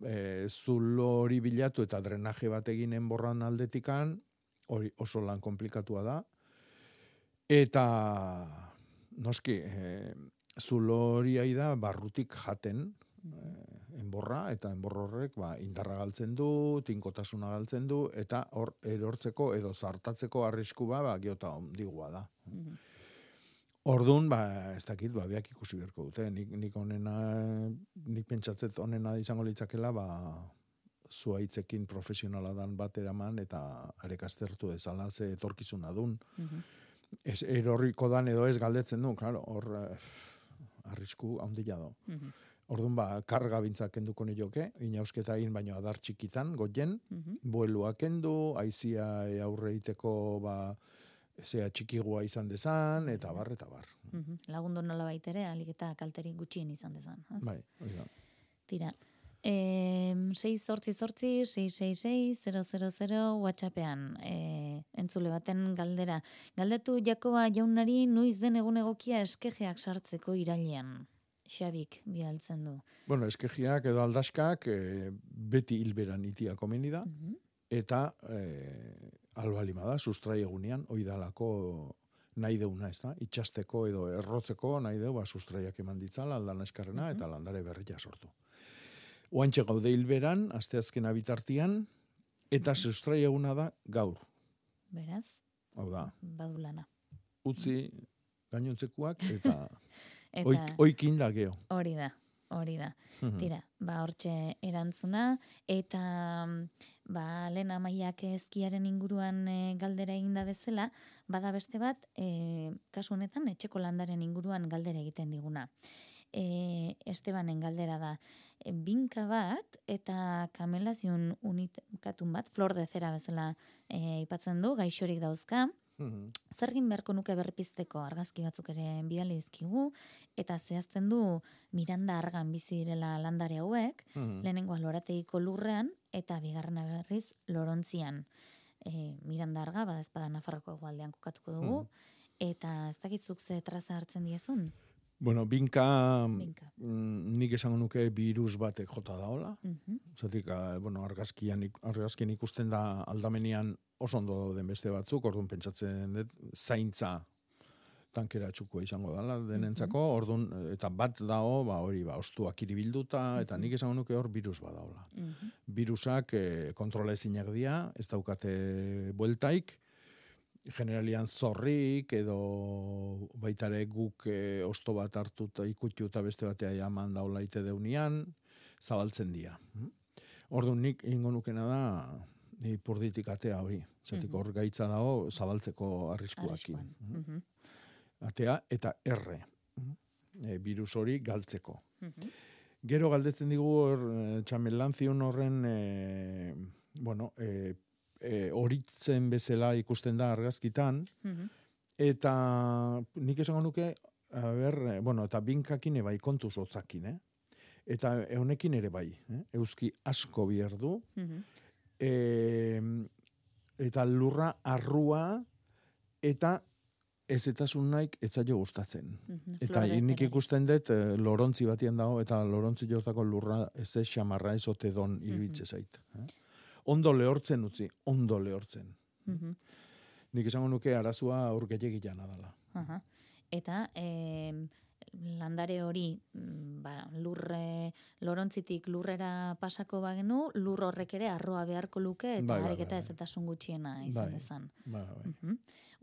Speaker 7: zulo hori bilatu eta drenaje bat egin enborran aldetikan, hori oso lan komplikatua da. Eta, noski, zulo hori da barrutik jaten, enborra, eta enborro horrek indarra galtzen du, tinkotasuna galtzen du, eta hor erortzeko edo zartatzeko arrisku geota ondigua da. Orduan, ez dakit, biak ikusi berko dute. Nik pentsatzet onena izango litzakela, zuaitzekin profesionala dan bat eraman, eta arek aztertu ezala ze etorkizuna dun. Erorriko dan edo ez galdetzen du, claro, hor arrisku handia da. Orduan, karga bintzak kenduko nioke, inausketa egin baino adar txikitan, goien, buelua kendu, aizia aurre iteko, zea txikigua izan dezan, eta bar.
Speaker 3: Lagundu nola baitere, alik eta kalterik gutxien izan dezan.
Speaker 7: Bai, hori da.
Speaker 3: Tira, 688-666-000 WhatsAppean, entzule baten galdera. Galdetu Jakoba jaunari nuiz den egun egokia eskejeak sartzeko irailean. Xabik bidaltzen du.
Speaker 7: Bueno, eskejiak edo aldaskak beti hilberan itia komeni da, eta albalima da, sustrai egunean, oidalako nahi deuna, ez da? Itxasteko edo errotzeko nahi deu, sustraiak eman ditzala, aldan eskarrena, eta landare berria sortu. Oantxe gaude hilberan, asteazkena bitartian, eta sustrai eguna da gaur.
Speaker 3: Beraz?
Speaker 7: Hau da.
Speaker 3: Badu lana.
Speaker 7: Utzi gainontzekuak, eta oikin da geho.
Speaker 3: Hori da. Tira, hortxe erantzuna, eta lehen amaiak ezkiaren inguruan galdera eginda bezala, bada beste bat, kasu honetan, etxeko landaren inguruan galdera egiten diguna. Estebanen galdera da, binka bat eta kamelazion unikatun bat, flor de zera bezala aipatzen du, gaixorik dauzka, zergin beharko nuke berpizteko argazki batzuk ere bidali dizkigu, eta zehazten du Miranda argan bizi direla landare hauek, lehenengoa lorategiko lurrean, eta bigarrena berriz lorontzian. Miranda arga, badazpada Nafarroko hegoaldean kokatuko dugu, eta ez dakitzuk ze traza hartzen diezun?
Speaker 7: Bueno, binka. Nik esango nuke virus batek jota daola. Zatik, argazkien ikusten da aldamenean oso ondo den beste batzuk, orduan pentsatzen dut, zaintza tankera txukoa izango dela denentzako, orduan, eta bat dao, hori, ostuak iribilduta, eta nik esango nuke hor virus bat daola. Virusak kontrola ezinak dira, ez daukate bueltaik, generalian zorrik, edo baitare guk osto bat hartuta ikutu eta beste batea jaman daula ite deunian, zabaltzen dira. Orduan nik ingo nukena da, ipurditik atea hori. Zatik hor gaitza dago zabaltzeko arriskuakin. Atea eta erre. Virus hori galtzeko. Gero galdetzen digu txamelantzion horren, horitzen bezala ikusten da argazkitan, eta nik esango nuke, eta binkakin bai kontuz otzakin, eta honekin ere bai, euski asko bierdu, eta lurra arrua, eta ezetasun naik etzaio gustatzen. Eta nik ikusten dut lorontzi batian dago, eta lorontzi jortako lurra ez xamarra ez ote don irbitze zait. Ondo lehortzen utzi, ondo lehortzen. Nik esango nuke arazua aurgetek jana dela.
Speaker 3: Eta landare hori lorontzitik lurrera pasako bagenu, lur horrek ere arroa beharko luke, eta hareketa ezetasun gutxiena izan dezan.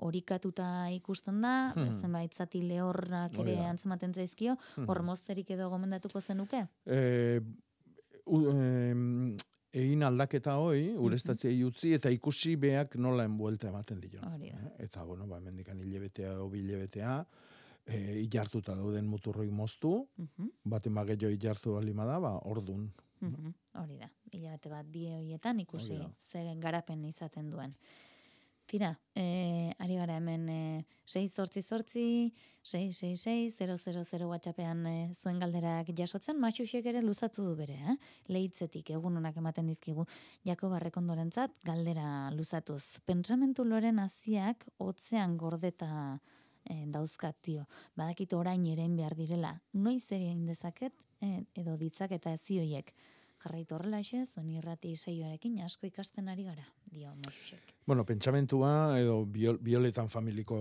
Speaker 3: Horikatuta ikusten da, zenbait zati lehorrak ere antzematen zaizkio, hor mozterik edo gomendatuko zenuke?
Speaker 7: Egin aldaketa hoi, ureztatziai utzi, eta ikusi beak nola enbuelta ematen dio. Eta, mendikan hilebetea o bilebetea, ilartuta dauden muturroi moztu, baten bageio ilartu balima da, ordun.
Speaker 3: Hori da, hilabete bat bi hoietan ikusi ze garapen izaten duen. Tira, ari gara hemen 688-666-000 WhatsAppean zuen galderak jasotzen, Maxuxek ere luzatu du bere, lehitzetik egun honak ematen dizkigu, Jakoba Errekondorentzat galdera luzatuz. Pentsamentu loren haziak hotzean gordeta dauzkat, dio. Badakit orain erein behar direla, noiz egin dezaket edo ditzak eta zioiek. Jarraitu horrela zuen irrati saioarekin asko ikasten ari gara, dio Moxusek.
Speaker 7: Bueno, pentsamentua edo bioletan familiko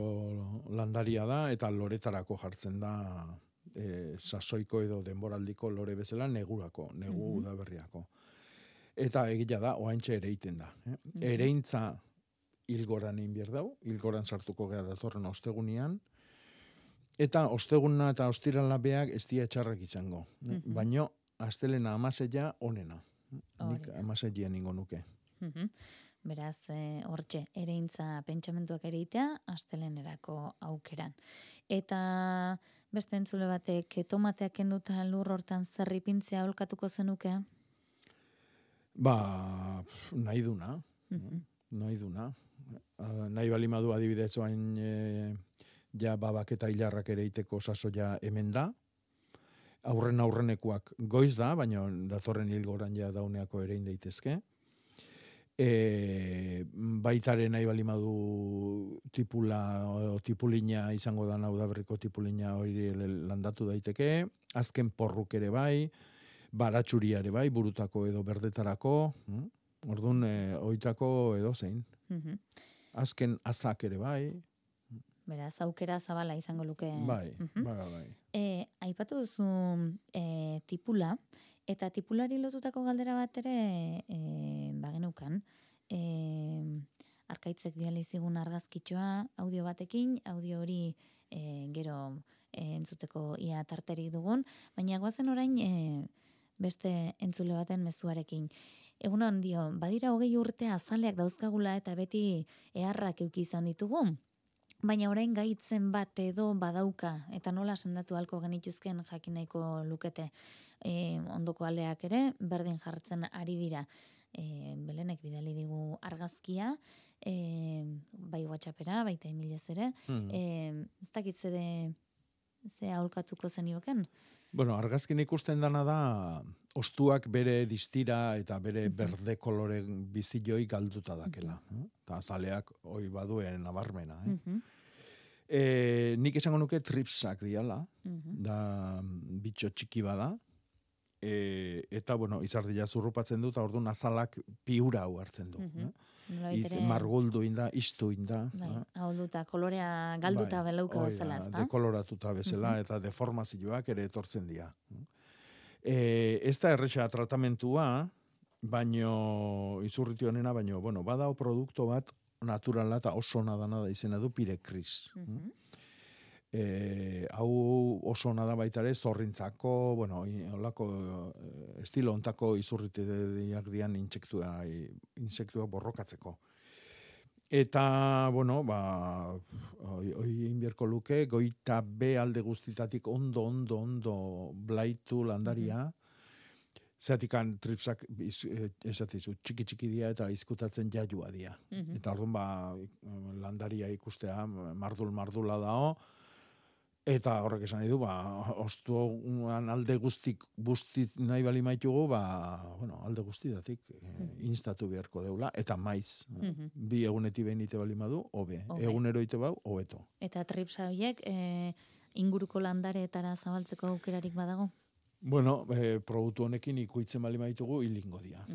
Speaker 7: landaria da eta loretarako jartzen da sasoiko edo denboraldiko lore bezala negu udaberriako. Eta egia da, oaintxe ere iten da. Ereintza hilgoran inbier dau, hilgoran sartuko gara datorren ostegunian, eta osteguna eta ostirala beak ez dia txarrak izango. Baino, astelena amaseia onena. Nik amaseia ningo nuke.
Speaker 3: Beraz, hortxe, ereintza pentsamentuak ereitea, astelenerako aukeran. Eta beste entzule batek, tomateak kenduta lur hortan zerripintzea olkatuko zenuke?
Speaker 7: Nahi duna. Nahi duna. Nahi balimadu adibidez oain ja babak eta hilarrak ereiteko sasoia hemen da. Aurrenekuak goiz da, baina datorren hilgoran ja dauneako erein daitezke. Baitaren nahi balimadu tipula o tipulina izango da udaberriko tipulina hori landatu daiteke. Azken porruk ere bai, baratxuria ere bai, burutako edo berdetarako. Orduan, oitako edo zein. Azken azak ere bai.
Speaker 3: Beraz, aukera zabala izango luke.
Speaker 7: Bai.
Speaker 3: Aipatu duzu tipula, eta tipulari lotutako galdera bat ere bagenukan. Arkaitzek bidali zigun argazkitxoa audio batekin, audio hori gero entzuteko ia tarterik dugun, baina goazen orain beste entzule baten mezuarekin. Egunon dio, badira 20 urte azaleak dauzkagula eta beti eharrak euki izan ditugu, baina orain gaitzen bat edo badauka, eta nola sendatu halko genituzken jakin nahiko lukete. Ondoko aleak ere, berdin jartzen ari dira. Belenek bidali digu argazkia, bai WhatsAppera, baita emilez ere. Ez dakit ze aholkatuko zenioken?
Speaker 7: Bueno, argazkin ikusten dana da, ostuak bere distira eta bere berde kolore bizioi galduta dakela. Eta azaleak hoi baduen nabarmena. Nik esango nuke tripsak diala, da bitxo txiki bada, eta, bueno, izardia zurrupatzen du, eta orduan azalak piura hau hartzen du. Marguldu inda, iztu inda.
Speaker 3: Ahulduta, kolorea galduta belauka bezala, ez da?
Speaker 7: Dekoloratuta bezala, eta deformazioak ere etortzen dira. Ez da erresa tratamentua, baino, izurriti honena, baino, bueno, badao produktu bat, naturala eta oso nadana da izena du Pirecris. Hau oso nada baita ere zorrintzako, bueno, holako estilo ontako izurritiak dian insektua borrokatzeko. Eta, bueno, hoi inbierko luke, goita be alde guztitatik ondo blaitu landaria, zeatikan tripsak esatizu txiki dira eta izkutatzen jaiua dira. Eta orduan landaria ikustea mardula dao, eta horrek esan nahi du, ostuan alde guztik nahi bali maitugu, alde guztitatik instatu beharko deula, eta maiz. Bi eguneti behin ite bali madu, hobe. Egunero ite bau, hobeto.
Speaker 3: Eta tripsa horiek inguruko landareetara zabaltzeko aukerarik badago?
Speaker 7: Bueno, produktu honekin ikuitzen bali maitugu hilingo dira.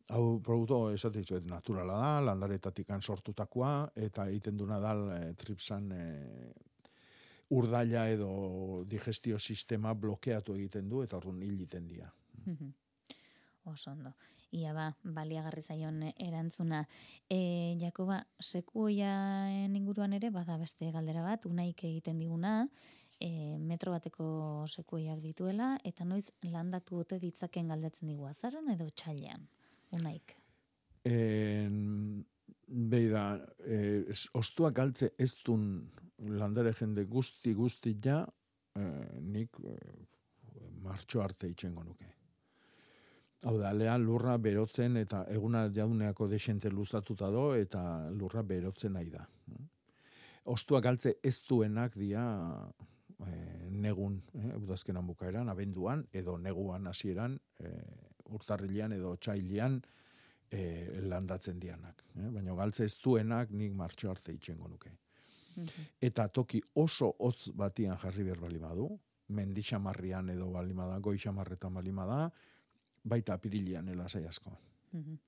Speaker 7: Hau produktu esatitzu naturala da, landaretatik sortutakoa, eta egiten duna da tripsan urdaila edo digestio sistema blokeatu egiten du, eta orduan hil egiten dira.
Speaker 3: Oso ondo. Ia baliagarri zaion erantzuna. Jakoba, sekuoiaen inguruan ere, bada beste galdera bat, unaik egiten diguna, metro bateko sekuoiak dituela, eta noiz landatu ote ditzaken galdetzen digu azaron edo txailean, unaik?
Speaker 7: Beida, ostuak galtze ez dun landare jende guzti ja, nik martxo arte itxengo nuke. Hau da, alean lurra berotzen eta eguna jauneako desente luzatuta do eta lurra berotzen nahi da. Ostuak galtze ez duenak dia negun, udazkenan bukaeran, abenduan, edo neguan hasieran, urtarrilean edo otsailean landatzen dianak. Baina galtze ez duenak nik martxo arte itxengo nuke. Eta toki oso hotz batian jarri behar bali badu, mendixamarrian edo balimada, goixamarretan balimada, baita apirilean lasai asko.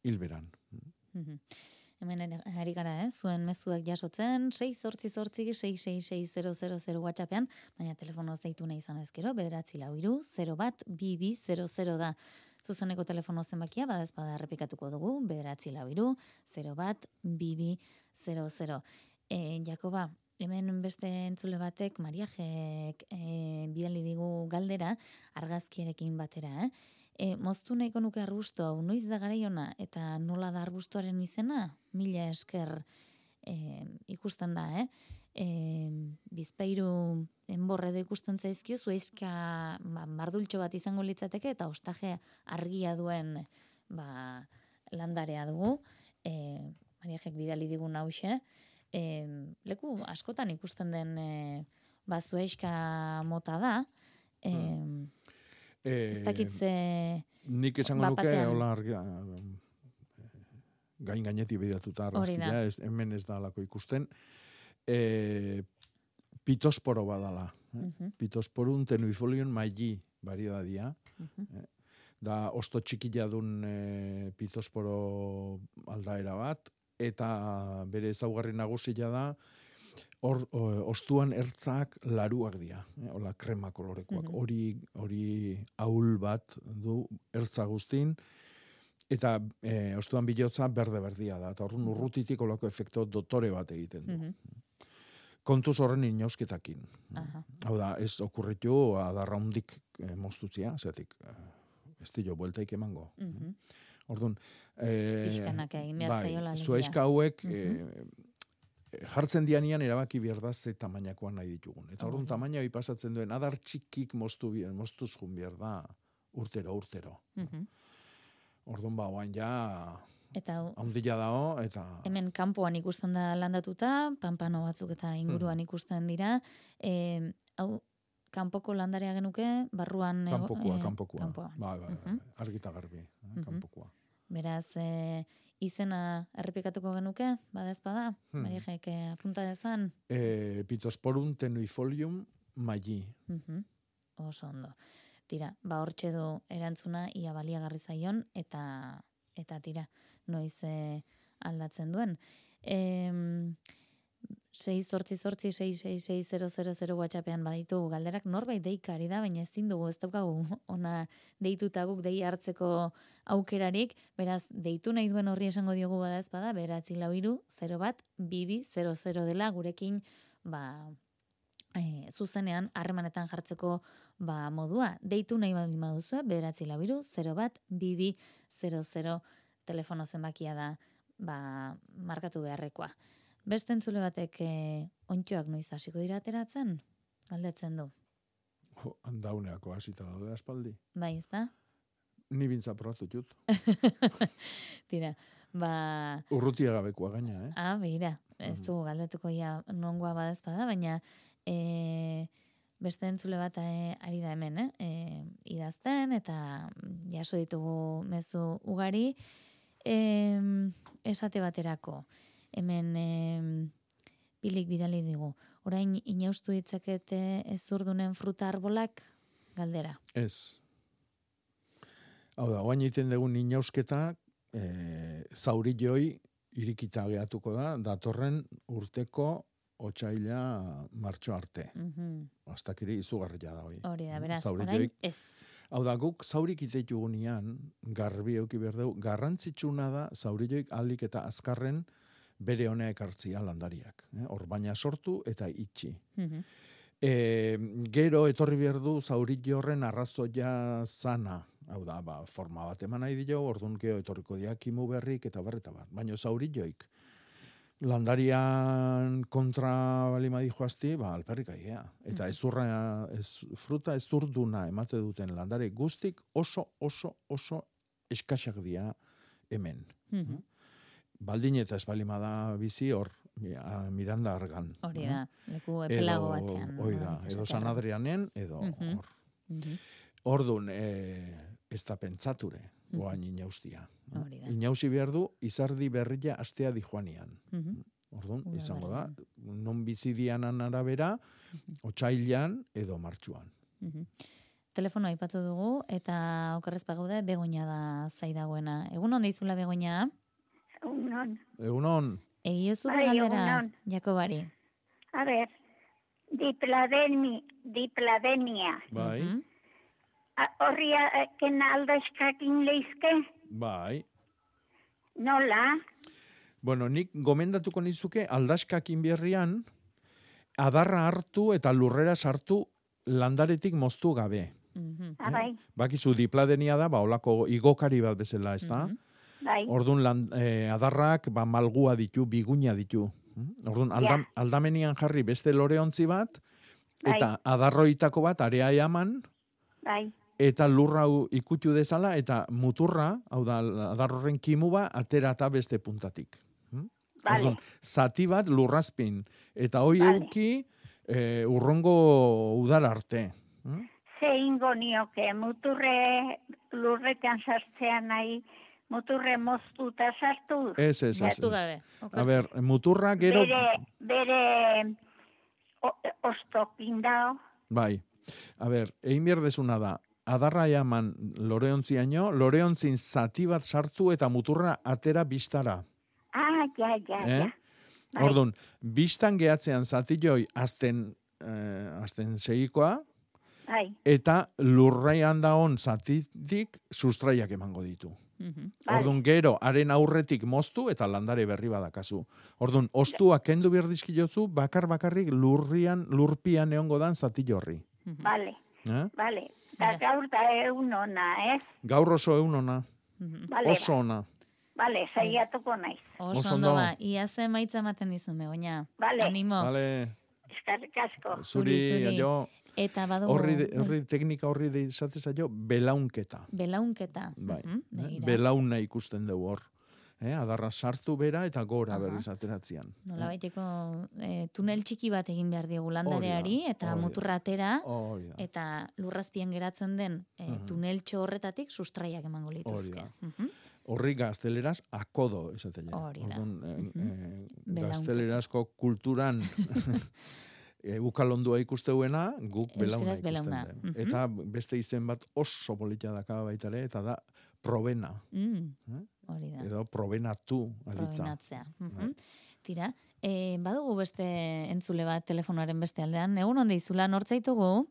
Speaker 7: Hilberan.
Speaker 3: Hemen ari gara, zuen mezuak jasotzen, 688-666-000 WhatsAppean, baina telefonoz deitu nahi izan ezkero, 943-01-2200 da. Zuzeneko telefono zenbakia, badazpada errepikatuko dugu, 943-01-2200. Jakoba, hemen beste entzule batek, Mariajek bidali digu galdera, argazkiarekin batera, moztu nahiko nuke arbusto hau, noiz da garaiona, eta nola da arbustoaren izena? Mila esker ikusten da, bizpairu enborre edo ikusten zaizkio, zueizka mardultxo bat izango litzateke, eta ostaje argia duen landarea dugu. Mariajek bidali digun hause. Leku askotan ikusten den zueizka mota da, ez dakitze
Speaker 7: nik esango nuke hola argia gainetik begiratuta argazkia, hemen ez da alako ikusten. Pitosporo badala. Pitosporun tenuifolion maili varidadia. Da osto txikila dun pitosporo aldaera bat, eta bere ezaugarri nagusia da ostuan ertzak laruak dira, hola krema kolorekoak. Hori ahul bat du ertza guztin, eta ostuan bilotza berde-berdia da, eta horren urrutitik olako efekto dotore bat egiten du. Kontuz horren inausketakin. Hau da, ez okurritu adarra hundik moztutzia, zeatik ez dilo bueltaik emango. Orduan,
Speaker 3: pixkanak egin behar zaiola.
Speaker 7: Zuaizka hauek jartzen dianian erabaki behar da ze tamainakoan nahi ditugun. Eta orduan tamaina hori pasatzen duen, adar txikik moztuz jun behar da urtero. Orduan oain ja handila dao, eta
Speaker 3: hemen kanpoan ikusten da landatuta, panpano batzuk eta inguruan ikusten dira. Hau, kanpoko landarea genuke, barruan
Speaker 7: kanpokoa. Argita garbi, kanpokoa.
Speaker 3: Beraz, izena errepikatuko genuke, badazpada, Mariajek apunta dezan?
Speaker 7: Pitosporum tenuifolium maili.
Speaker 3: Oso ondo. Tira, hortxe du erantzuna, ia baliagarri zaion, eta tira, noiz aldatzen duen. 688-666-000 WhatsAppean baditu galderak, norbait deikari da, baina ezin dugu, ez daukagu ona deituta guk dei hartzeko aukerarik, beraz, deitu nahi duen horri esango diogu badazpada, 944-01-2200 dela, gurekin, zuzenean harremanetan jartzeko modua. Deitu nahi baldin baduzue, 944-01-2200 telefono zenbakia da markatu beharrekoa. Beste entzule batek ontxoak noiz hasiko dira ateratzen? Galdetzen du.
Speaker 7: Handauneako hasita daude aspaldi.
Speaker 3: Bai, ez da?
Speaker 7: Ni bintza probatu jut.
Speaker 3: Tira,
Speaker 7: urrutia gabekoa gaina,
Speaker 3: behira, ez du galdetuko ja nongoa badazpada, baina beste entzule bat ari da hemen, idazten, eta jaso ditugu mezu ugari, esate baterako. Hemen pilik bidali digu. Orain inaustu ditzakete ezurdunen fruta arbolak galdera?
Speaker 7: Ez. Hau da, oain egiten dugun inausketa zaurilloi irikita gehatuko da, datorren urteko otsaila martxo arte. Aztakiri izugarria da hoi.
Speaker 3: Hori da, beraz, orain ez.
Speaker 7: Hau da, guk zaurik iteitugu nian, garbi euki berdeu, garrantzitsuna da zaurilloik alik eta azkarren bere honea ekartzia landariak. Hor baina sortu eta itxi. Gero etorri behar du zaurillo horren arrazoia zana. Hau da, forma bat eman nahi dio, orduan geho etorriko diakimu berrik eta barreta bat. Baina zaurilloik landarian kontra balima dijoazti, alperrik aigea. Eta fruta ez urduna emate duten landare guztik oso eskaxak dira hemen. Baldin eta ez balima da bizi hor, Miranda Argan.
Speaker 3: Hori da, leku epelago batean.
Speaker 7: Hori da, edo San Adrianen, edo hor. Orduan, ez da pentsature, goain inaustia. Inausi behar du, izardi berria astea dijoanian. Orduan, izango da, non bizi dianan arabera, otsailean edo martxuan.
Speaker 3: Telefono aipatu dugu, eta okerrez pagaude, Begoña da zaidagoena. Egunon deizula, Begoña?
Speaker 7: Egunon.
Speaker 3: Egiozu da galdera, Jakobari.
Speaker 11: A ver, dipladenia.
Speaker 7: Bai.
Speaker 11: Horri aldazkakin leizke?
Speaker 7: Bai.
Speaker 11: Nola?
Speaker 7: Bueno, nik gomendatuko nizuke aldaskakin berrian adarra hartu eta lurrera sartu landaretik moztu gabe.
Speaker 11: Bai.
Speaker 7: Bakizu dipladenia da, olako igokari bat bezala, ez da?
Speaker 11: Bai.
Speaker 7: Orduan adarrak malgua ditu, biguña ditu. Orduan aldamenian jarri beste loreontzi bat, eta adarroitako bat area eaman, eta lurra ikutu dezala, eta muturra, hau da, adarroren kimuba, atera eta beste puntatik. Orduan, zati bat lurrazpin, eta hoi euki urrongo udara arte.
Speaker 11: Zein gonioke, muturre lurretan sartzean nahi, muturre moztuta sartu?
Speaker 7: Ez. A ber, muturra gero...
Speaker 11: Bere ostokin dao.
Speaker 7: Bai. A ber, egin bierdezuna da, adarra jaman loreontziaino, loreontzin zati bat sartu eta muturra atera bistara.
Speaker 11: Ja.
Speaker 7: Orduan, bistan gehatzean zati joi azten segikoa, eta lurraian daon zatitik sustraiak emango ditu. Orduan, gero, haren aurretik moztu eta landare berri badakazu. Orduan, ostua kendu berdizkilotzu, bakarrik lurpian egongo dan zati jorri.
Speaker 11: Bale. Da gaur da eunona, ez?
Speaker 7: Gaur oso eunona. Oso ona.
Speaker 11: Bale, saiatuko naiz.
Speaker 3: Oso ondo ba, iaze maitza ematen dizu, Begoña.
Speaker 11: Bale.
Speaker 3: Animo.
Speaker 7: Bale.
Speaker 11: Eskerrik asko.
Speaker 7: Zuri, aio.
Speaker 3: Eta badugu...
Speaker 7: Horri teknika horri deizatez aio, belaunketa.
Speaker 3: Belaunketa.
Speaker 7: Bai. Belauna ikusten dugu hor. Adarra sartu bera eta gora berriz ateratzean.
Speaker 3: Nola baiteko tunel txiki bat egin behar diogu landareari, eta muturra atera, eta lurrazpien geratzen den tuneltxo horretatik sustraiak emango lituzke.
Speaker 7: Horri gazteleraz akodo esaten.
Speaker 3: Hori da.
Speaker 7: Gaztelerazko kulturan ukalondua ikusteuena, guk belauna ikusten den. Eta beste izen bat oso politia daka baitare, eta da probena.
Speaker 3: Hori da.
Speaker 7: Edo probenatu alitza.
Speaker 3: Probenatzea. Tira, badugu beste entzule bat telefonoaren beste aldean. Egun onde izula, nortzaitugu?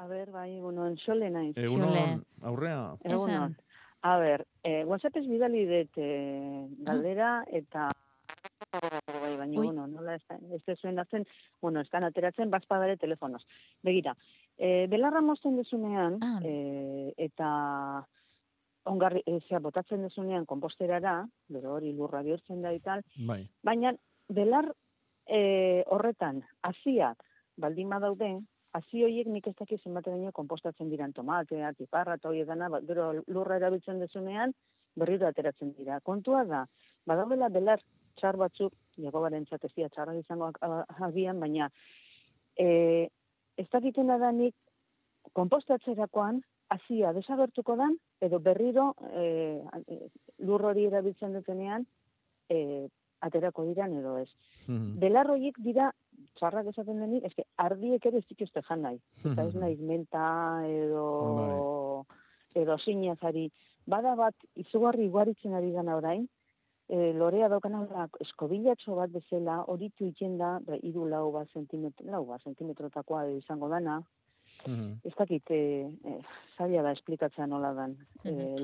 Speaker 12: A ber, bai, egunon, xole naiz.
Speaker 7: Egunon, aurrea.
Speaker 12: Egunon. A ber, WhatsAppez bidali dut galdera eta baina, nola ez zuen datzen, estan ateratzen bazpadare telefonoz. Begira, belarra mozten dezunean, eta ongarri, botatzen dezunean komposterara, bero hori lurra bihurtzen da ital, baina belar horretan, haziak baldin badaude, hazi horiek nik ez dakiz zenbateraino konpostatzen diran tomatea, tiparra eta horiek dana, gero lurra erabiltzen dezunean, berriro ateratzen dira. Kontua da, badaudela belar txar batzuk, Jakobaren txatezia txarra izango agian, baina ez dakitena da nik konpostatzerakoan hazia desagertuko dan, edo berriro lur hori erabiltzen dutenean aterako diran edo ez. Belar horiek dira txarrak esaten denik, eske ardiek ere ez dituzte jan nahi. Eta ez nahi menta edo sinazari. Bada bat, izugarri iguaritzen ari gana orain, lorea daukana eskobilatxo bat bezala, horitu itzen da, 3-4 zentimetrotakoa izango dana. Ez dakit, zaila da esplikatzea nola dan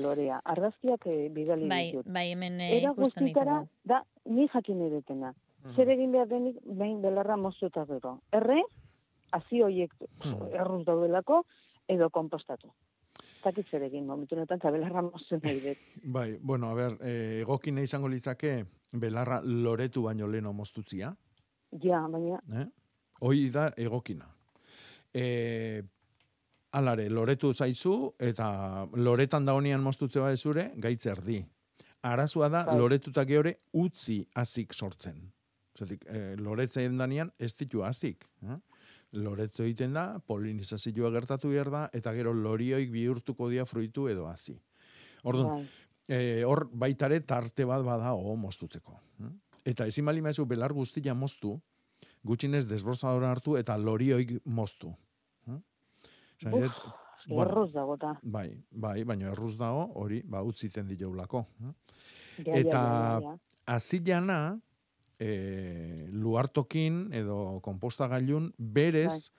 Speaker 12: lorea. Argazkiak bidali ditut.
Speaker 3: Bai, hemen ikusten ditugu.
Speaker 12: Da, ni jakin edetena. Zer egin behar denik, behin belarra moztu eta gero. Hazi horiek erruz daudelako, edo konpostatu. Zakit zer egin, momentu honetan, eta belarra moztu nahi dut.
Speaker 7: Bai, bueno, a ber, egokina izango litzake, belarra loretu baino leno moztutzia.
Speaker 12: Ja, baina.
Speaker 7: Hoi da egokina. Alare, loretu zaizu, eta loretan daunian moztutze bat zure, gaitz erdi. Arazua da, loretutak geore utzi azik sortzen. Zatik, loretzen danean ez ditu azik. Loretzo egiten da, polinizazioa gertatu behar da, eta gero lorioik bihurtuko dia fruitu edo hazi. Orduan, hor baitare tarte bat bada moztutzeko. Eta ezin bali maizu belar guztia moztu, gutxinez desbrozadora hartu eta lorioik moztu.
Speaker 12: Erruz dago ta.
Speaker 7: Bai, baina erruz dago, hori, utziten diolako. Eta azilana, luartokin edo konpostagailun berez,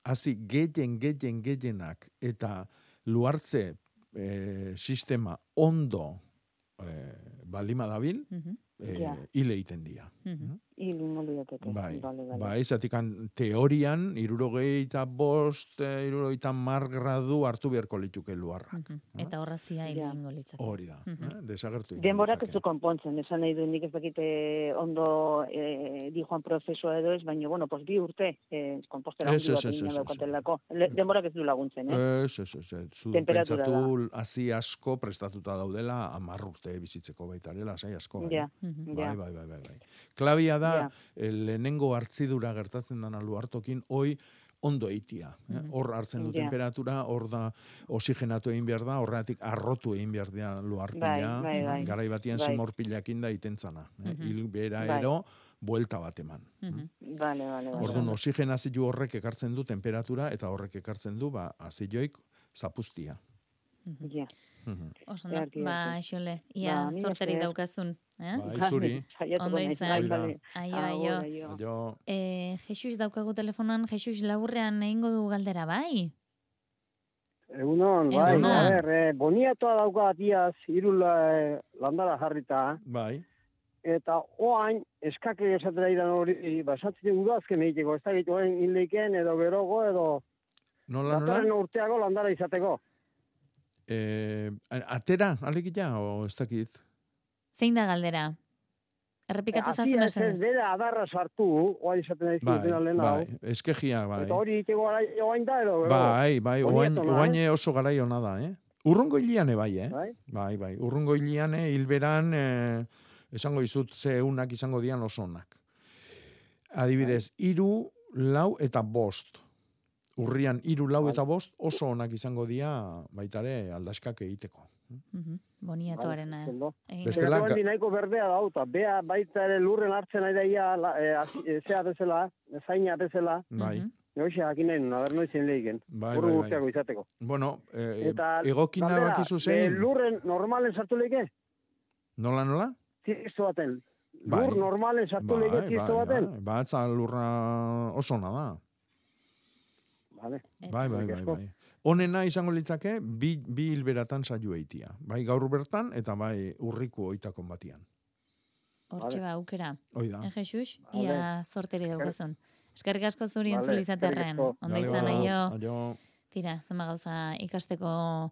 Speaker 7: hazi gehienak eta luartze sistema ondo baldima dabil, hile iten dia.
Speaker 12: Hile inoldiateke.
Speaker 7: Bai, zatikan teorian, 75, 60 gradu hartu beharko lituke luarrak.
Speaker 3: Eta horrazia hile ingo litzake.
Speaker 7: Hori da, desagertu.
Speaker 12: Denborak ez du konpontzen, esan nahi du nik ez dakite ondo dijoan prozesua edo ez, baina, bueno, pues 2 urte kompostera hundi bat egin daukatelako. Denborak ez du laguntzen,
Speaker 7: Ez. Zu pentsatu hazi asko prestatuta daudela 10 urte bizitzeko baitarela, sai asko. Bai. Klabia da, lehenengo hartzidura gertatzen dana luartokin, hoi ondo eitia. Hor hartzen du temperatura, hor da oxigenatu egin behar da, horretik arrotu egin behar da luarpila, garai batian simorpilakin da itentzana. Hil bera ero, buelta bat eman. Orduan, oxigenazio horrek ekartzen du temperatura, eta horrek ekartzen du, azioik zapustia.
Speaker 3: Oso da, xole, ia zorterik daukazun.
Speaker 7: Zuri.
Speaker 3: Ondo izan. Aio. Jesus daukagu telefonan, Jesus laburrean egingo du galdera, bai?
Speaker 13: Egunon, boniatoa dauka atiaz, 3 landara jarrita.
Speaker 7: Bai.
Speaker 13: Eta oain, eskake esatera iran hori, basatzen udazken egiteko, ez da egiteko hinleiken edo berogo edo...
Speaker 7: Nola?
Speaker 13: Urteago landara izateko.
Speaker 7: Atera, alegila, o ez dakit?
Speaker 3: Zein da galdera? Errepikatu zazu mesedez.
Speaker 13: Ez bera adarra sartu, oain izaten da izkitzen alen hau.
Speaker 7: Bai, eskegia, bai.
Speaker 13: Eta hori iteko oain da, edo?
Speaker 7: Bai, oain oso garai hona da, Urrungo hiliane bai, Bai, urrungo hiliane, hilberan, esango izut zeunak izango dian oso onak. Adibidez, 3, 4 eta 5. Urrian 3, 4 eta 5 oso onak izango dia baitare aldaskak egiteko.
Speaker 3: Boniatoarena.
Speaker 13: Bestela nahiko berdea dauta, bea baita ere lurren hartzen nahi daia zea bezala, zaina bezala.
Speaker 7: Bai.
Speaker 13: Noixe jakin nahi nuen, aber noizen lehiken. Urru urteako izateko.
Speaker 7: Bueno, egokina bakizu zein?
Speaker 13: Lurren normalen sartu lehike?
Speaker 7: Nola?
Speaker 13: Txisto baten. Lur normalen sartu lehike txisto baten?
Speaker 7: Batza lurra oso ona da. Bai. Honena izango litzake, bi hilberatan saio eitia. Bai gaur bertan, eta bai urriko oitakon batian.
Speaker 3: Hortxe aukera.
Speaker 7: Oida.
Speaker 3: Jesus, ia sorteri daukazun. Eskerrik asko zuri entzulizaterren. Ondo izan, aio. Tira, zenba gauza ikasteko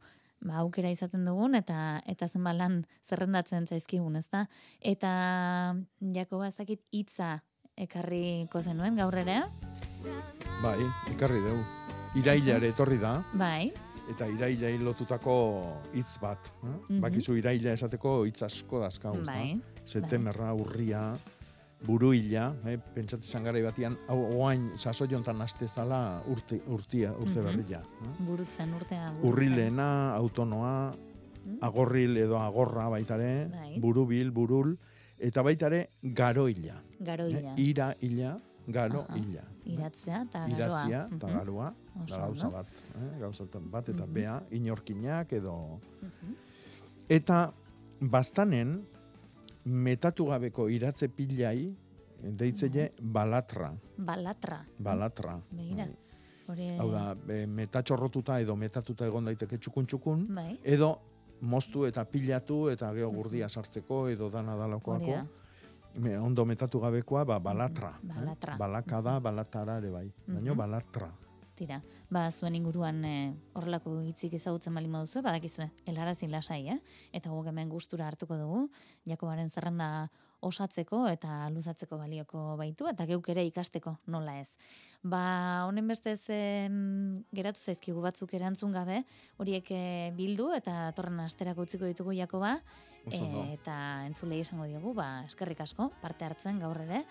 Speaker 3: aukera izaten dugun, eta zenba lan zerrendatzen zaizkigun, ezta? Eta Jakoba ezakit hitza ekarriko zenuen gaur ere?
Speaker 7: Bai, ekarri dugu. Irailare etorri da.
Speaker 3: Bai.
Speaker 7: Eta irailai lotutako hitz bat. Bakizu iraila esateko hitz asko dazkauz.
Speaker 3: Bai.
Speaker 7: Septemberra, urria, buruila, pentsatzen garai batian, oain sasoiontan astezala urte berria.
Speaker 3: Burutzen urtea.
Speaker 7: Urrilena, autonoa, agorril edo agorra baitare, burubil, burul, eta baitare garoila.
Speaker 3: Garoila.
Speaker 7: Iraila, garoila.
Speaker 3: Iratzea eta garoa.
Speaker 7: Iratzea eta garoa, da gauza bat. Gauza bat eta bea, inorkinak edo... Eta bastanen, metatu gabeko iratze pilai, deitzele balatra. Balatra.
Speaker 3: Begira.
Speaker 7: Hau da, metatxorrotuta edo metatuta egon daiteke txukun, edo moztu eta pilatu eta geho gurdia sartzeko edo dana dalakoako. Ondo metatu gabekoa, balatra. Balaka da, balatara ere bai. Baina balatra.
Speaker 3: Tira, zuen inguruan horrelako hitzik ezagutzen bali moduzu, badakizue, helarazin lasai, Eta guk hemen gustura hartuko dugu, Jakobaren zerrenda osatzeko eta luzatzeko balioko baitu, eta geuk ere ikasteko, nola ez. Honen bestez geratu zaizkigu batzuk erantzun gabe, horiek bildu eta torren asterako utziko ditugu Jakoba, eta entzulei esango diogu, eskerrik asko, parte hartzen gaur ere,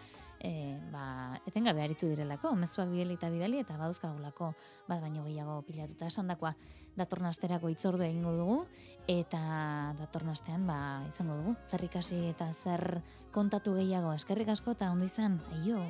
Speaker 3: etengabe aritu direlako, mezuak bidali eta badauzkagulako bat baino gehiago pilatuta esandakoa. Datorren asterako hitzordu egingo dugu, eta datorren astean izango dugu, zer ikasi eta zer kontatu gehiago. Eskerrik asko eta ondo izan, aio!